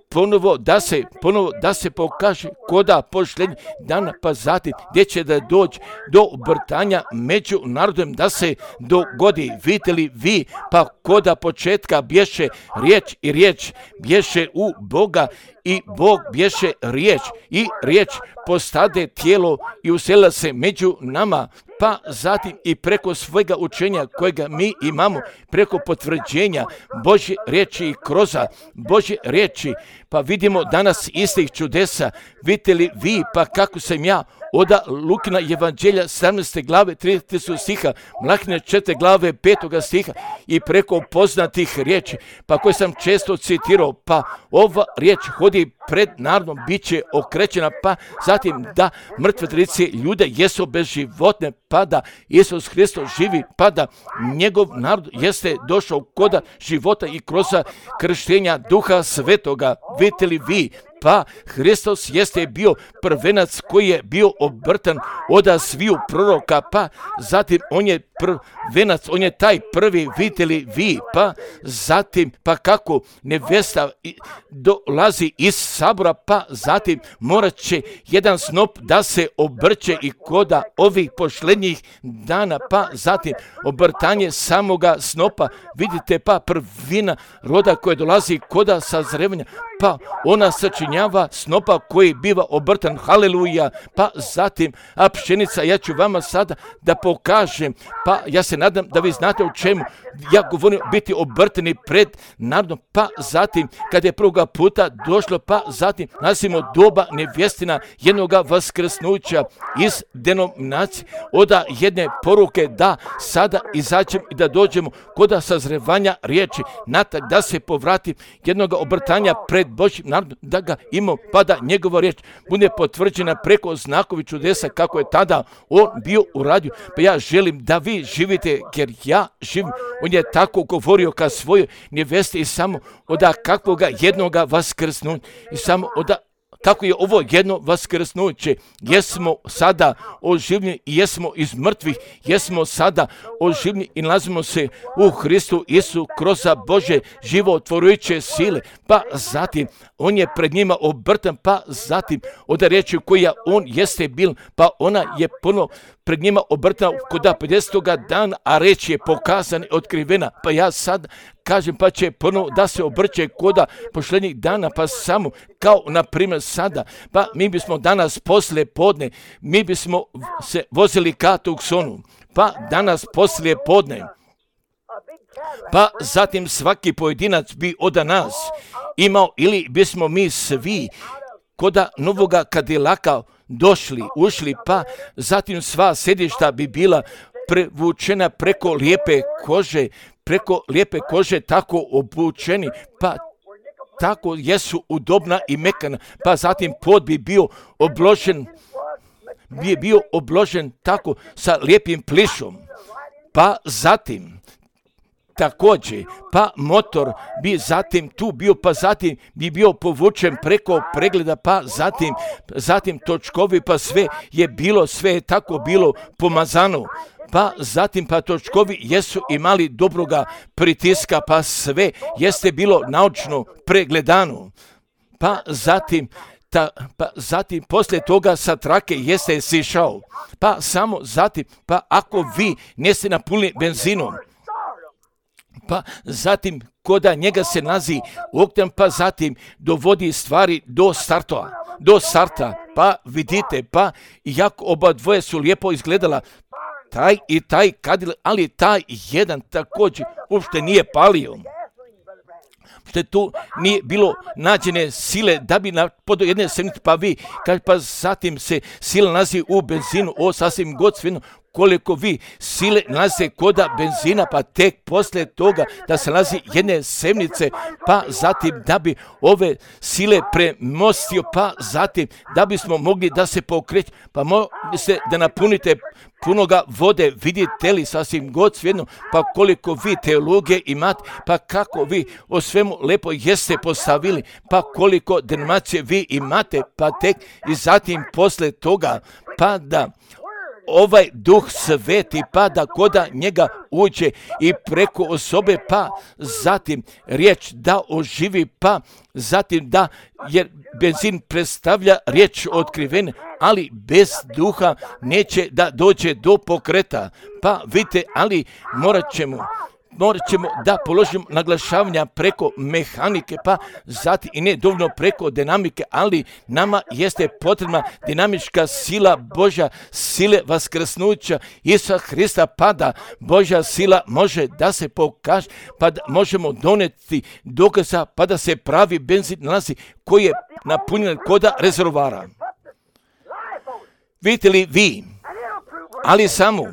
Speaker 2: ponovo da se, ponovo da se pokaže koda pošljenja dana, pa zatim gdje će da doći do obrtanja među narodom da se dogodi. Vidite li vi, pa koda početka bješe riječ i riječ bješe u Boga i Bog bješe riječ i riječ postade tijelo i uselila se među nama, pa zatim i preko svojega učenja kojega mi imamo, preko potvrđenja Božje riječi i kroz Božje riječi, pa vidimo danas istih čudesa. Vidite li vi, pa kako sam ja oda Lukina evanđelja sedamnaeste glave tridesetog stiha, Mlahine četvrte glave petog stiha i preko poznatih riječi, pa koje sam često citirao, pa ova riječ hodi pred narodom, bit će okrećena, pa zatim da mrtve trice ljude jesu bezživotne, pa da Isus Hristos živi, pa da njegov narod jeste došao koda života i kroz krštenja Duha Svetoga. Vidite li vi, pa Hristos jeste bio prvenac koji je bio obrtan oda sviju proroka, pa zatim on je prvenac, on je taj prvi, vidite li vi, pa zatim, pa kako nevesta dolazi iz sabora, pa zatim morat će jedan snop da se obrće i koda ovih pošlednjih dana, pa zatim obrtanje samoga snopa, vidite, pa prvina roda koja dolazi koda sazrevanja, pa ona sačinjava snopa koji biva obrtan, haleluja, pa zatim, a pšenica, ja ću vama sada da pokažem, pa ja se nadam da vi znate o čemu ja govorim, biti obrtani pred narodom, pa zatim, kad je prvoga puta došlo, pa zatim, nasimo doba nevjestina jednoga vaskrsnuća iz denominacije, oda jedne poruke da sada izađemo i da dođemo koda sazrevanja riječi, natak da se povrati jednoga obrtanja pred Božjim narodom, da ga imamo, pa da njegova riječ bude potvrđena preko znakovi čudesa kako je tada on bio uradio. Pa ja želim da vi živite, jer ja živim. On je tako govorio ka svojoj nevesti i samo oda kakvoga jednoga vaskrsnuća i samo oda kako je ovo jedno vaskrsnuće, jesmo sada oživljeni i jesmo iz mrtvih, jesmo sada oživljeni i nalazimo se u Hristu Isu kroz Božje životvorujuće sile, pa zatim on je pred njima obrtan, pa zatim od riječi koja on jeste bil, pa ona je puno pred njima obrtana koda pedesetoga dana, a reč je pokazana i otkrivena, pa ja sad kažem, pa će ponovo da se obrće koda pošlednjih dana, pa samo kao na primjer sada, pa mi bismo danas posle podne, mi bismo se vozili ka Tucsonu, pa danas posle podne, pa zatim svaki pojedinac bi od nas imao, ili bismo mi svi koda novoga Kadilaka došli, ušli, pa zatim sva sedišta bi bila prevučena preko lijepe kože, preko lijepe kože tako obučeni, pa tako jesu udobna i mekana, pa zatim pod bi bio obložen, bi bio obložen tako sa lijepim plišom, pa zatim također, pa motor bi zatim tu bio, pa zatim bi bio povučen preko pregleda, pa zatim, zatim točkovi, pa sve je bilo, sve je tako bilo pomazano. Pa zatim pa točkovi jesu imali dobroga pritiska, pa sve jeste bilo naučno pregledano. Pa zatim, ta, pa zatim poslije toga sa trake jeste sišao. Pa samo zatim, pa ako vi niste napunili benzinom, pa zatim koda njega se nazi oktan, pa zatim dovodi stvari do starta, do starta, pa vidite, pa jako oba dvoje su lijepo izgledala, taj i taj Kadilak, ali taj jedan također uopšte nije palio. Što tu nije bilo nađene sile da bi na podo jedne semnice, pa vi, kaže, pa zatim se sila nalazi u benzinu, o sasvim god svino, koliko vi sile nalaze koda benzina, pa tek poslije toga da se nalazi jedne semnice, pa zatim da bi ove sile premostio, pa zatim da bismo mogli da se pokreći, pa možete da napunite punoga vode, vidite li sasvim god svjedno, pa koliko vi teologije imate, pa kako vi o svemu lepo jeste postavili, pa koliko denominacije vi imate, pa tek i zatim poslije toga, pa da ovaj duh sveti, pa da koda njega uđe i preko osobe, pa zatim riječ da oživi, pa zatim da, jer benzin predstavlja riječ otkrivene, ali bez duha neće da dođe do pokreta. Pa vidite, ali morat ćemo, morat ćemo da položimo naglašavanja preko mehanike, pa zatim i ne dovoljno preko dinamike, ali nama jeste potrebna dinamička sila Božja, sile vaskrsnuća Isusa Hrista, pa da Božja sila može da se pokaže, pa da možemo doneti dokaza, pa da se pravi benzin nalazi koji je napunjen koda rezervoara. Vidite li vi, ali samo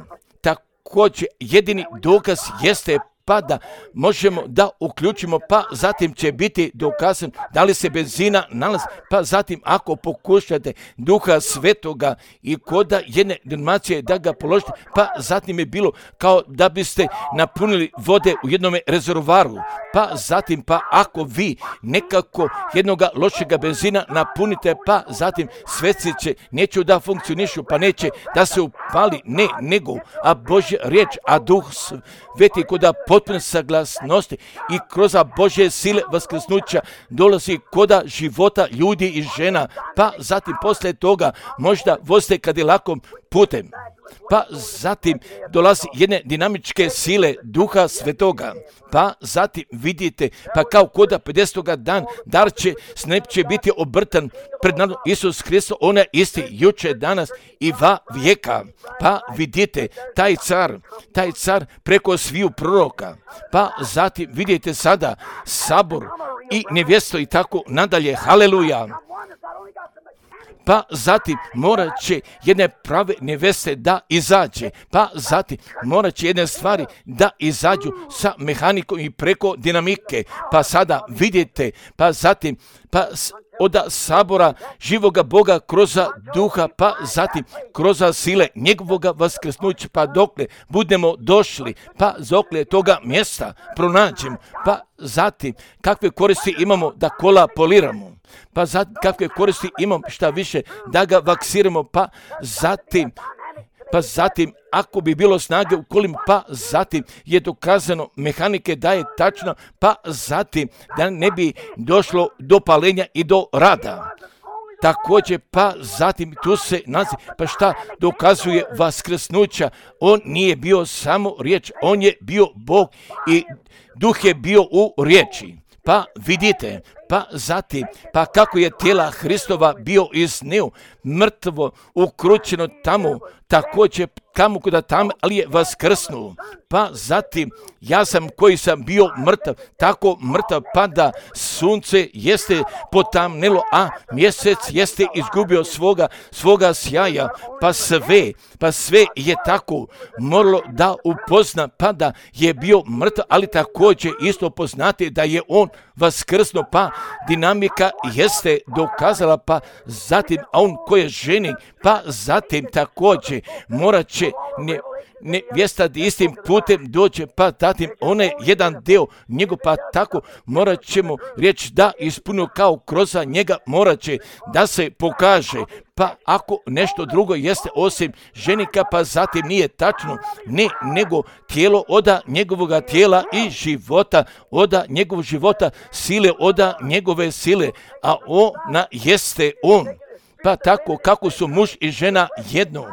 Speaker 2: također jedini dokaz jeste pa da možemo da uključimo, pa zatim će biti dokazan da li se benzina nalazi, pa zatim ako pokušate duha svetoga i koda jedne denominacije da ga položite, pa zatim je bilo kao da biste napunili vode u jednom rezervoaru, pa zatim pa ako vi nekako jednoga lošega benzina napunite, pa zatim sveci će neću da funkcionišu, pa neće da se upali, ne, nego, a Božja riječ, a duh sveti koda potpune saglasnosti i kroz Božje sile vaskrsnuća dolazi koda života ljudi i žena, pa zatim poslije toga možda vozite Kadilakom putem, pa zatim dolazi jedne dinamičke sile duha svetoga, pa zatim vidite, pa kao koda pedesetoga dan, dar će, snep će biti obrtan pred nadom Isus Hristos, on je isti juče, danas i va vijeka, pa vidite, taj car, taj car preko sviju proroka, pa zatim vidite sada sabor i nevjesto i tako nadalje, haleluja. Pa zatim morat će jedne prave neveste da izađe, pa zatim morat će jedne stvari da izađu sa mehanikom i preko dinamike, pa sada vidite, pa zatim pa od sabora živoga Boga kroz duha, pa zatim kroz sile njegovoga vaskrsnuća, pa dokle budemo došli, pa dokle toga mjesta pronađemo, pa zatim kakve koristi imamo da kola poliramo, pa zatim kakve koristi imamo šta više da ga vaksiramo, pa zatim pa zatim ako bi bilo snage u kolima, pa zatim je dokazano mehanike da je tačno, pa zatim da ne bi došlo do palenja i do rada. Također, pa zatim tu se nalazi, pa šta dokazuje vaskrsnuća, on nije bio samo riječ, on je bio Bog i duh je bio u riječi. Pa vidite, pa zatim, pa kako je tijela Hristova bio iznio, mrtvo, ukrućeno tamo, također kamo kuda tamo, ali je vaskrsnuo. Pa zatim, ja sam koji sam bio mrtav, tako mrtav pa da sunce jeste potamnelo, a mjesec jeste izgubio svoga, svoga sjaja, pa sve, pa sve je tako moralo da upozna, pa da je bio mrtav, ali također isto poznati da je on vaskrsnuo, pa dinamika jeste dokazala, pa zatim, a on koji je ženi, pa zatim također morat će ne, nevjesta istim putem dođe, pa zatim onaj jedan dio njegov, pa tako morat ćemo reći da ispunio kao kroz njega morat će da se pokaže. Pa ako nešto drugo jeste osim ženika, pa zatim nije tačno, ne, nego tijelo oda njegovoga tijela i života, oda njegovog života, sile oda njegove sile, a ona jeste on. Pa tako kako su muž i žena jedno.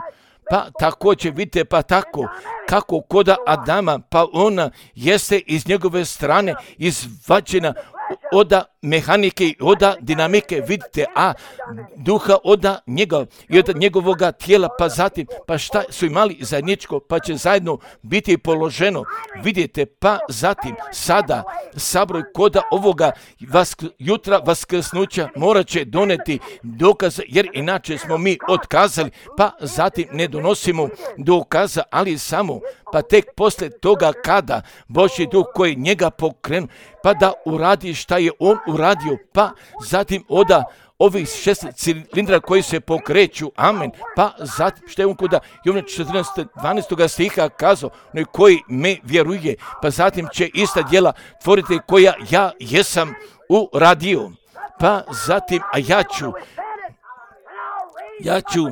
Speaker 2: Pa također vidite, pa tako kako koda Adama, pa ona jeste iz njegove strane izvađena oda mehanike i oda dinamike, vidite, a duha oda njega i od njegovoga tijela, pa zatim, pa šta su imali zajedničko, pa će zajedno biti položeno, vidite, pa zatim, sada, sabroj koda ovoga vask, jutra vaskrsnuća morat će doneti dokaze, jer inače smo mi otkazali, pa zatim ne donosimo dokaza, ali samo, pa tek poslije toga kada Božji duh koji njega pokrenu, pa da uradi šta je on uradio, pa zatim oda ovih šest cilindra koji se pokreću, amen, pa zatim što je on kuda Jovana četrnaest dvanaest stiha kazao, onaj koji me vjeruje, pa zatim će ista djela tvoriti koja ja jesam uradio, pa zatim, a ja ću, ja ću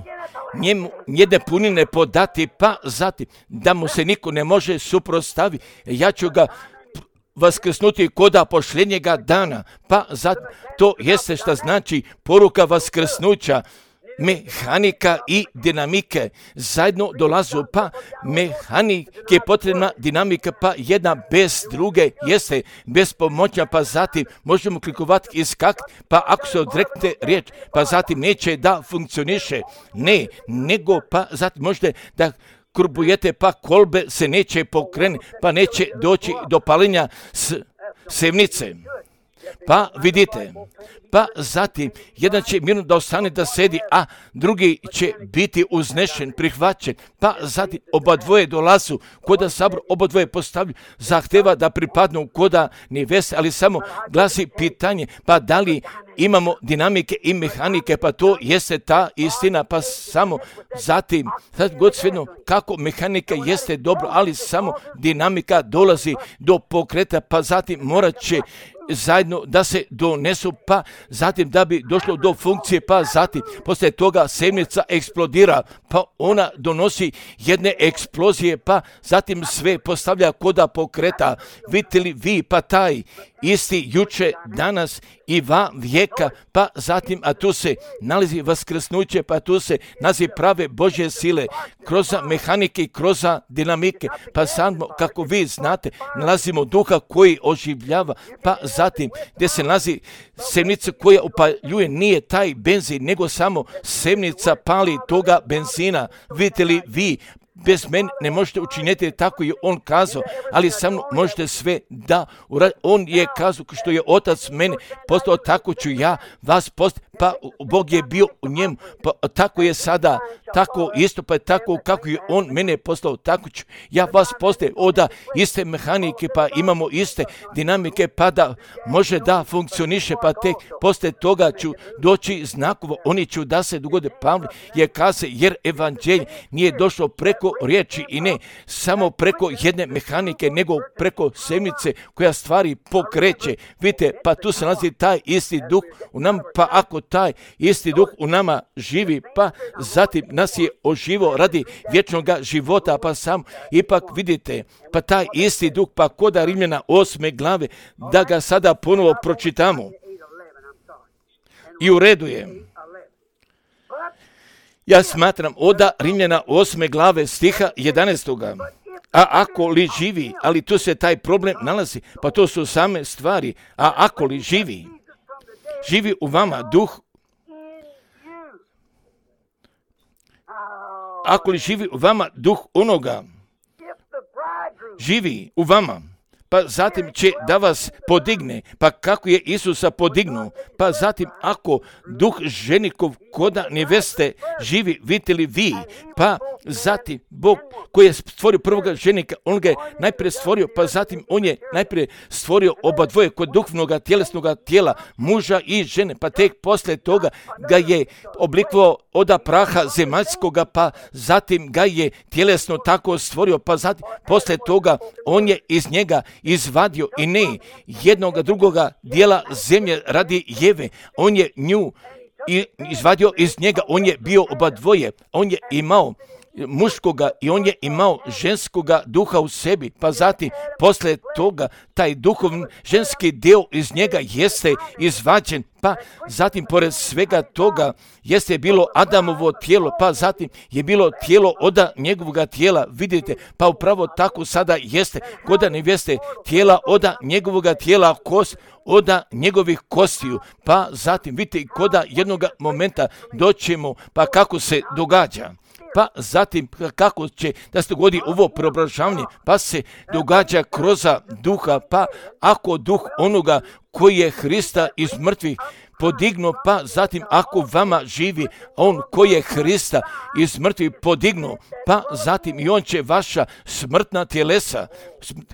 Speaker 2: njemu jedne punine podati, pa zatim da mu se niko ne može suprotstaviti, ja ću ga vaskrsnuti koda posljednjega dana, pa zatim to jeste šta znači poruka vaskrsnuća, mehanika i dinamike zajedno dolazu, pa mehanike potrebna dinamika, pa jedna bez druge jeste bez pomoća, pa zatim možemo klikovati i skakati, pa ako se odreknete riječ, pa zatim neće da funkcioniše, ne, nego pa zatim možete da kurbujete, pa kolbe se neće pokrenuti, pa neće doći do paljenja s sevnice. Pa vidite, pa zatim jedan će mirno da ostane da sedi, a drugi će biti uznešen, prihvaćen, pa zatim oba dvoje dolazu, koda sabor oba dvoje postavlju, zahteva da pripadnu koda neveste, ali samo glasi pitanje, pa da li imamo dinamike i mehanike, pa to jeste ta istina, pa samo zatim, sad god svejedno kako mehanika jeste dobro, ali samo dinamika dolazi do pokreta, pa zatim morat će zajedno da se donesu, pa zatim da bi došlo do funkcije, pa zatim poslije toga sevnica eksplodira, pa ona donosi jedne eksplozije, pa zatim sve postavlja koda pokreta. Vidite li vi, pa taj isti juče, danas i va vijeka, pa zatim, a tu se nalazi vaskrsnuće, pa tu se nalazi prave Božje sile, kroz mehanike i kroz dinamike, pa samo, kako vi znate, nalazimo duha koji oživljava, pa zatim, gdje se nalazi sevnica koja upaljuje, nije taj benzin, nego samo sevnica pali toga benzina. Vidite li vi, bez mene ne možete učiniti, tako je on kazao, ali samo možete sve da uraditi. On je kazao što je otac mene postao, tako ću ja vas postati, pa Bog je bio u njemu, pa tako je sada, tako isto, pa tako kako je on mene postao, tako ću ja vas postati, oda iste mehanike, pa imamo iste dinamike, pa da može da funkcioniše, pa tek poslije toga ću doći znakovo, oni ću da se dogode. Pavle je kazao, jer evanđelje nije došlo preko riječi i ne samo preko jedne mehanike, nego preko sevnice koja stvari pokreće. Vidite, pa tu se nalazi taj isti duh u nama, pa ako taj isti duh u nama živi, pa zatim nas je oživo radi vječnog života, pa sam ipak vidite, pa taj isti duh, pa koda Rimljana osme glave, da ga sada ponovo pročitamo. I u redu je. Ja smatram oda Rimljana osme glave stiha jedanaestoga. A ako li živi, ali tu se taj problem nalazi, pa to su same stvari, a ako li živi, živi u vama duh, ako li živi u vama duh onoga, živi u vama, pa zatim će da vas podigne, pa kako je Isusa podignuo, pa zatim ako duh ženikov koda neveste živi, vidite li vi, pa zatim Bog koji je stvorio prvoga ženika, on ga je najprije stvorio, pa zatim on je najprije stvorio oba dvoje kod duhovnoga tjelesnoga tijela, muža i žene, pa tek poslije toga ga je oblikovao oda praha zemaljskoga, pa zatim ga je tjelesno tako stvorio, pa zatim poslije toga on je iz njega izvadio i ne jednoga drugoga dijela zemlje radi Jeve, on je nju i izvadio iz njega, on je bio oba dvoje, on je imao muškoga i on je imao ženskoga duha u sebi, pa zatim poslije toga taj duhovni ženski dio iz njega jeste izvađen, pa zatim pored svega toga jeste bilo Adamovo tijelo, pa zatim je bilo tijelo oda njegovoga tijela, vidite, pa upravo tako sada jeste koda nevjeste tijela oda njegovoga tijela, kost oda njegovih kostiju, pa zatim vidite koda jednoga momenta doćemo, pa kako se događa. Pa zatim kako će da se dogodi ovo preobražavanje, pa se događa kroz duha, pa ako duh onoga koji je Hrista iz mrtvih podignuo, pa zatim ako vama živi on koji je Hrista iz mrtvih podignuo, pa zatim i on će vaša smrtna tjelesa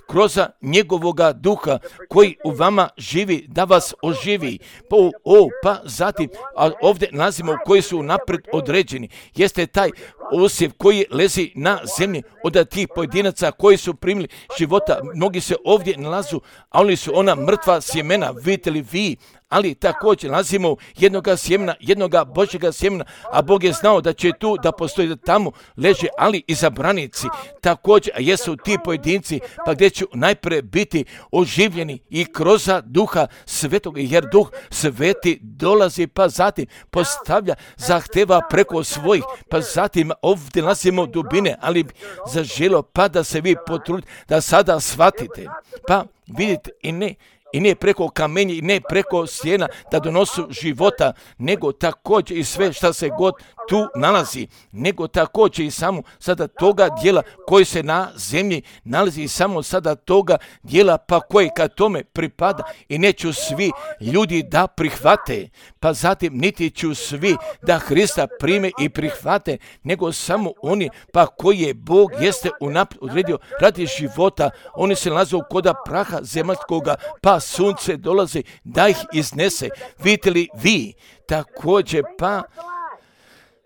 Speaker 2: kroz njegovoga duha koji u vama živi da vas oživi. Pa, o, pa zatim, a ovdje nalazimo koji su napred određeni, jeste taj osjev koji lezi na zemlji od tih pojedinaca koji su primili života. Mnogi se ovdje nalazu, a oni su ona mrtva sjemena, vidite li vi, ali također nalazimo jednoga sjemena, jednoga Božjega sjemena, a Bog je znao da će tu, da postoji, da tamo leže, ali i zabranici. Također, a jesu ti pojedinci, pa gdje će najprije biti oživljeni i kroz duha svetog, jer duh sveti dolazi, pa zatim postavlja, zahteva preko svojih, pa zatim ovdje nalazimo dubine, ali zaželo, pa da se vi potrudite, da sada shvatite, pa vidite i ne, i ne preko kamenja i ne preko stijena da donosu života, nego također i sve što se god tu nalazi, nego također i samo sada toga dijela koji se na zemlji nalazi i samo sada toga dijela pa koji kad tome pripada i neću svi ljudi da prihvate, pa zatim niti ću svi da Hrista prime i prihvate, nego samo oni pa koji je Bog jeste unaprijed odredio radi života, oni se nalaze u koda praha zemaljskoga, pa sunce dolazi da ih iznese. Vidite li vi također pa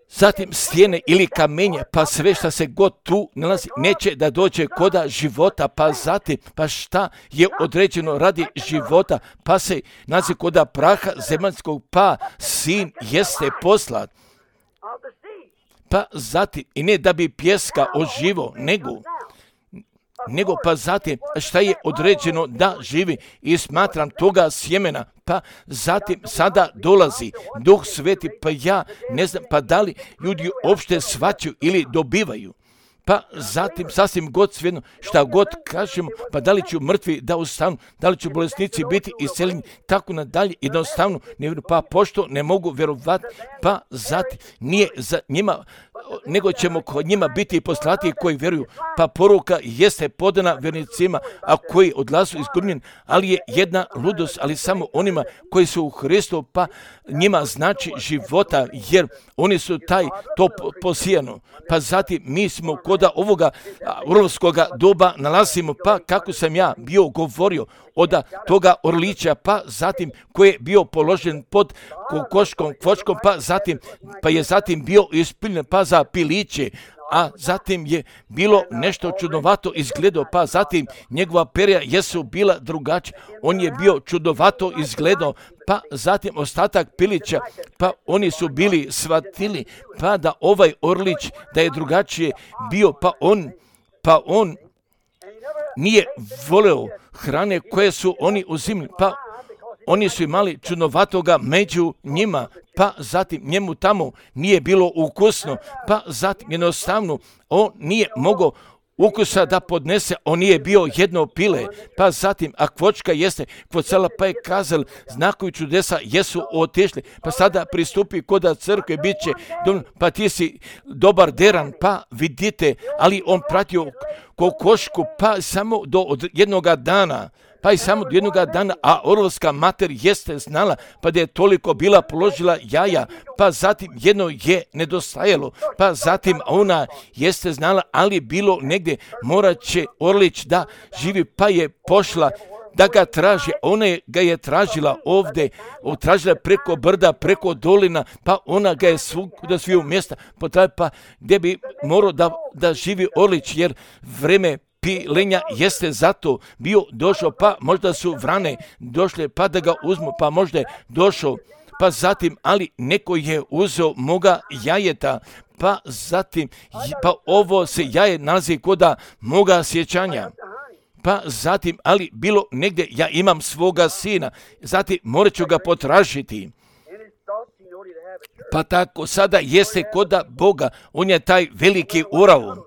Speaker 2: zatim stijene ili kamenje, pa sve što se god tu nalazi, neće da dođe koda života, pa zatim, pa šta je određeno radi života, pa se nalazi koda praha zemaljskog, pa sin jeste poslat. Pa zatim, i ne da bi pjeska oživo, nego nego pa zatim šta je određeno da živi i smatram toga sjemena, pa zatim sada dolazi Duh Sveti, pa ja ne znam pa da li ljudi uopšte shvaćaju ili dobivaju. Pa zatim sasvim god svejedno šta god kažemo, pa da li će mrtvi da ustanu, da li će bolesnici biti iseljeni, tako nadalje, jednostavno ne vjeruju, pa pošto ne mogu vjerovati, pa zatim nije za njima, nego ćemo kod njima biti poslati koji vjeruju, pa poruka jeste podana vjernicima, a koji odlazu izgubljeni, ali je jedna ludost, ali samo onima koji su u Hristu, pa njima znači života, jer oni su taj to posijano. Pa zatim mi smo koda ovoga orlovskoga doba nalazimo, pa kako sam ja bio govorio od toga orlića, pa zatim koji je bio položen pod kokoškom, kvočkom, pa zatim, pa je zatim bio ispiljen, pa za piliće, a zatim je bilo nešto čudovato izgledao, pa zatim njegova perja jesu bila drugačija, on je bio čudovato izgledao, pa zatim ostatak pilića, pa oni su bili shvatili, pa da ovaj orlić da je drugačije bio, pa on, pa on nije voleo hrane koje su oni uzimali, pa oni su imali čudnovatoga među njima, pa zatim njemu tamo nije bilo ukusno, pa zatim jednostavno on nije mogao ukusa da podnese, on nije bio jedno pile, pa zatim, a kvočka jeste kvocala, pa je kazal, znakovi čudesa jesu otišli, pa sada pristupi koda crkve, bit će, pa ti si dobar deran, pa vidite, ali on pratio kokošku, pa samo do jednoga dana, pa i samo do jednoga dana, a orlovska mater jeste znala, pa da je toliko bila položila jaja, pa zatim jedno je nedostajalo, pa zatim ona jeste znala, ali bilo negdje morat će Orlić da živi, pa je pošla da ga traži, ona je, ga je tražila ovdje, tražila preko brda, preko dolina, pa ona ga je svuda sviju mjesta, pa gdje bi morao da, da živi Orlić, jer vreme pilenja jeste zato bio došao, pa možda su vrane došle, pa da ga uzmu, pa možda je došao, pa zatim, ali neko je uzeo moga jajeta, pa zatim, pa ovo se jaje nalazi koda moga sjećanja. Pa zatim, ali bilo negdje, ja imam svoga sina, zatim morat ću ga potražiti. Pa tako sada jeste koda Boga, on je taj veliki urao.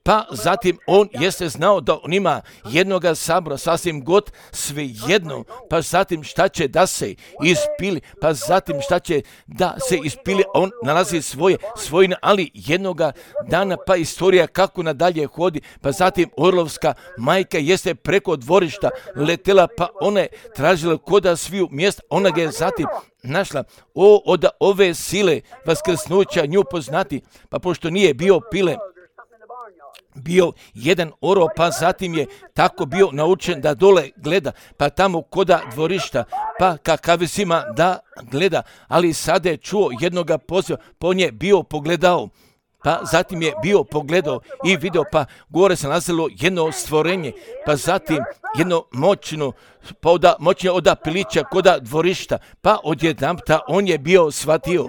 Speaker 2: Pa zatim on jeste znao da on ima jednoga sabora, sasvim god sve jedno, pa zatim šta će da se ispili, pa zatim šta će da se ispili, on nalazi svoje svojine, ali jednoga dana, pa istorija kako nadalje hodi, pa zatim orlovska majka jeste preko dvorišta letela, pa ona je tražila koda sviju mjesta, ona ga je zatim našla, o, od ove sile vaskrsnuća nju poznati, pa pošto nije bio pile, bio jedan oro, pa zatim je tako bio naučen da dole gleda, pa tamo koda dvorišta, pa kakavesima da gleda, ali sada je čuo jednoga poziva, po nje bio pogledao, pa zatim je bio pogledao i video, pa gore se nalazilo jedno stvorenje, pa zatim jedno moćno, pa oda, moćnije oda pilića koda dvorišta, pa odjedanpta on je bio shvatio.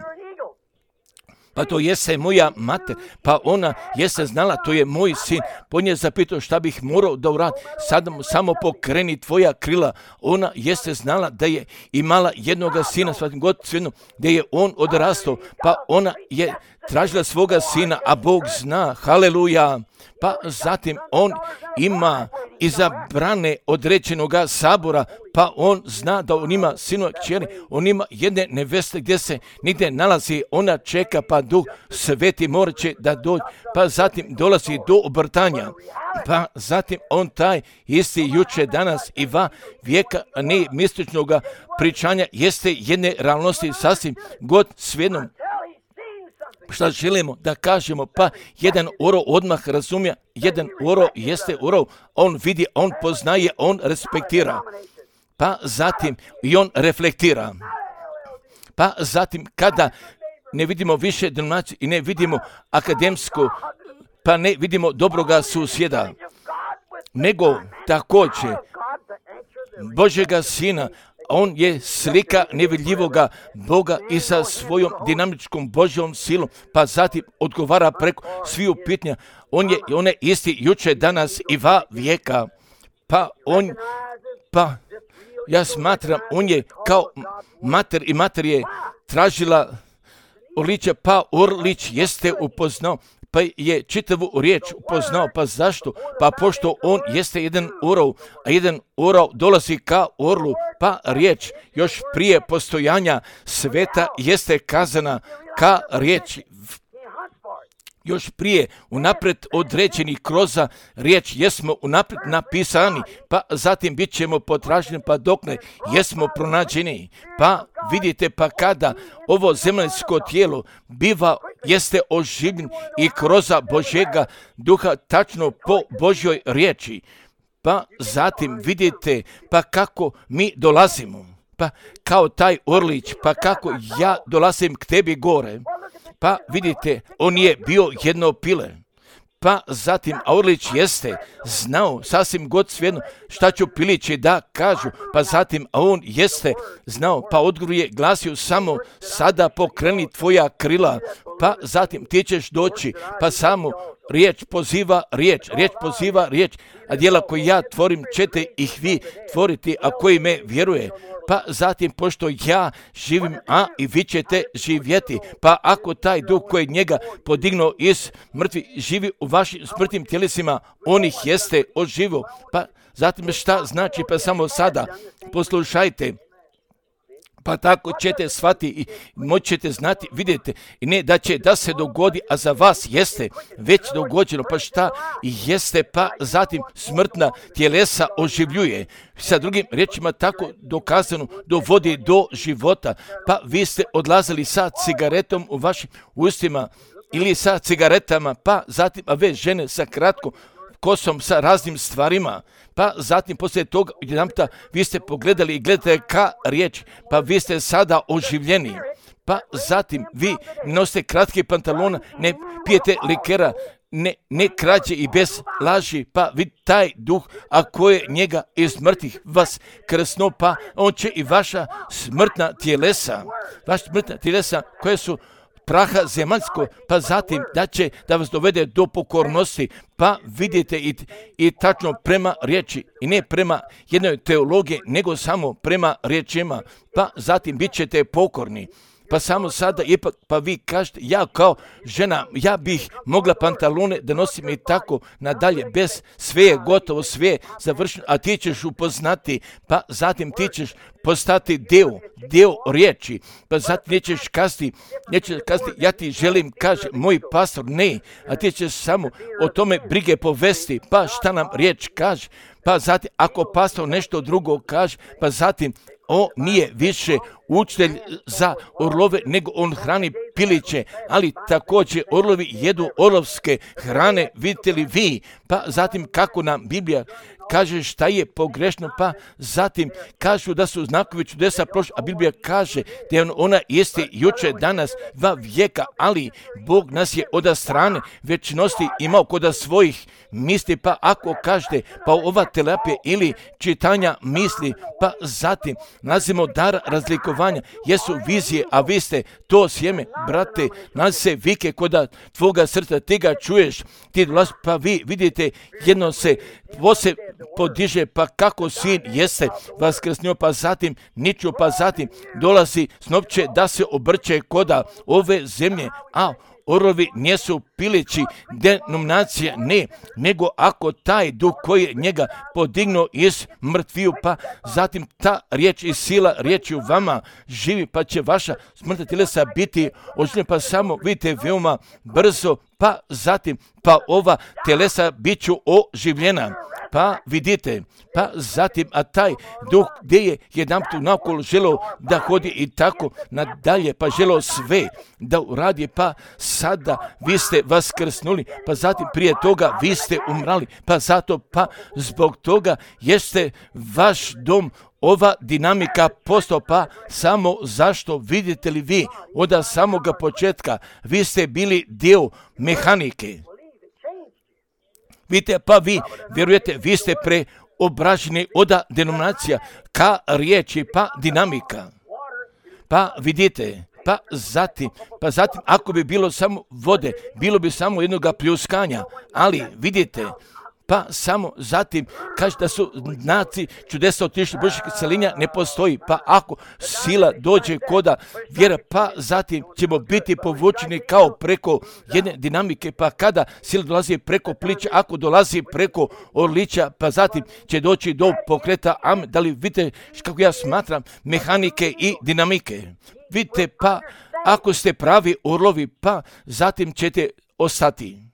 Speaker 2: Pa to jeste moja mater, pa ona jeste znala, to je moj sin. Po nje zapitao šta bih morao da uradi, sada mu samo pokreni tvoja krila. Ona jeste znala da je imala jednoga sina, svatim god svijedno, gdje je on odrastao, pa ona je tražila svoga sina, a Bog zna, haleluja. Pa zatim on ima izabrane određenoga sabora, pa on zna da on ima sinova kćeri, on ima jedne neveste gdje se nigdje nalazi, ona čeka, pa Duh Sveti morat će da dođe, pa zatim dolazi do obrtanja, pa zatim on taj isti juče, danas i va vijeka ne mističnoga pričanja jeste jedne realnosti sasvim god svijednom. Šta želimo da kažemo, pa jedan oro odmah razumije, jedan oro jeste oro, on vidi, on poznaje, on respektira, pa zatim i on reflektira, pa zatim kada ne vidimo više denominaciju i ne vidimo akademsko, pa ne vidimo dobroga susjeda, nego također Božjega Sina, on je slika nevidljivoga Boga i sa svojom dinamičkom Božjom silom, pa zatim odgovara preko sviju pitanja. On je, on je isti juče, danas i va vijeka. Pa on, pa ja smatram, on je kao mater i mater je tražila Orlića, pa Orlić jeste upoznao, pa je čitavu riječ upoznao, pa zašto? Pa pošto on jeste jedan orao, a jedan orao dolazi ka orlu, pa riječ još prije postojanja sveta jeste kazana ka riječi. Još prije unaprijed određeni kroz riječ jesmo unaprijed napisani, pa zatim bit ćemo potraženi, pa dok ne jesmo pronađeni. Pa vidite, pa kada ovo zemaljsko tijelo biva jeste oživljen i kroz Božjega duha tačno po Božjoj riječi, pa zatim vidite pa kako mi dolazimo, pa kao taj Orlić, pa kako ja dolazim k tebi gore. Pa vidite, on je bio jedno pile. Pa zatim, a Orlić jeste znao sasvim god svejedno šta ću pilići da kažu. Pa zatim, a on jeste znao, pa odgovor je glasio samo sada pokreni tvoja krila. pa zatim ti ćeš doći, pa samo riječ poziva riječ, riječ poziva riječ, a djela koje ja tvorim ćete ih vi tvoriti, a koji me vjeruje. Pa zatim, pošto ja živim, a i vi ćete živjeti, pa ako taj duh koji njega podignuo iz mrtvi živi u vašim smrtnim tjelesima, on ih jeste oživo. Pa zatim šta znači, pa samo sada poslušajte. Pa tako ćete shvati i moćete znati, vidite, i ne da će da se dogodi, a za vas jeste već dogođeno, pa šta jeste, pa zatim smrtna tjelesa oživljuje. Sa drugim riječima tako dokazano dovodi do života, pa vi ste odlazili sa cigaretom u vašim ustima ili sa cigaretama, pa zatim, a ve žene sa kratkom kosom, sa raznim stvarima, pa zatim poslije toga jedanputa vi ste pogledali i gledate ka riječ, pa vi ste sada oživljeni, pa zatim vi nosite kratke pantalona, ne pijete likera, ne, ne krađe i bez laži, pa vi taj duh, ako je njega iz mrtvih vas krsno, pa on će i vaša smrtna tjelesa, vaša smrtna tjelesa koje su praha zemaljsko, pa zatim da će da vas dovede do pokornosti, pa vidite i, i tačno prema riječi i ne prema jednoj teologiji, nego samo prema riječima, pa zatim bit ćete pokorni. Pa samo sada ipak, pa vi kažete, ja kao žena, ja bih mogla pantalone da nosim i tako nadalje, bez sve je gotovo, sve je završeno, a ti ćeš upoznati, pa zatim ti ćeš postati dio, dio riječi, pa zatim nećeš kazati, nećeš kazati, ja ti želim, kaže moj pastor, ne, a ti ćeš samo o tome brige povesti, pa šta nam riječ kaže, pa zatim ako pastor nešto drugo kaže, pa zatim on nije više učitelj za orlove, nego on hrani piliće, ali također orlovi jedu orlovske hrane, vidite li vi, pa zatim kako nam Biblija kaže šta je pogrešno, pa zatim kažu da su znakovi čudesa prošli, a Biblija kaže da je ona jeste jučer, danas, dva vijeka, ali Bog nas je od strane večnosti imao kod svojih misli, pa ako kažete, pa ova terapija ili čitanja misli, pa zatim nalazimo dar razlikovanja, jesu vizije, a vi ste to sjeme, brate, nalazi se vike kod tvoga srca, ti ga čuješ, ti dolazi, pa vi vidite, jedno se pose podiže, pa kako sin jeste vaskrsnio, pa zatim niču, pa zatim dolazi snopće da se obrće koda ove zemlje, a orlovi nisu pilići denominacije, ne, nego ako taj duh koji je njega podignuo iz mrtviju, pa zatim ta riječ i sila riječi u vama živi, pa će vaša smrtna tjelesa biti oživljena, pa samo vidite veoma brzo, pa zatim, pa ova telesa bit ću oživljena. Pa vidite, pa zatim, a taj duh gdje je jedanput naokolo želeo da hodi i tako nadalje, pa želeo sve da uradi, pa sada vi ste vaskrsnuli, pa zatim prije toga vi ste umrali, pa zato, pa zbog toga jeste vaš dom ova dinamika postao, pa samo zašto vidite li vi od samoga početka, vi ste bili dio mehanike. Vidite, pa vi vjerujete, vi ste preobraženi od denominacija ka riječi, pa dinamika. Pa vidite, pa zatim, pa zatim ako bi bilo samo vode, bilo bi samo jednoga pljuskanja, ali vidite, pa samo zatim kaže da su znaci čudesa otišli Božjeg celinja ne postoji, pa ako sila dođe koda vjera, pa zatim ćemo biti povučeni kao preko jedne dinamike, pa kada sila dolazi preko plića, ako dolazi preko orlića, pa zatim će doći do pokreta, amen. Da li vidite kako ja smatram mehanike i dinamike? Vidite, pa ako ste pravi orlovi, pa zatim ćete ostati.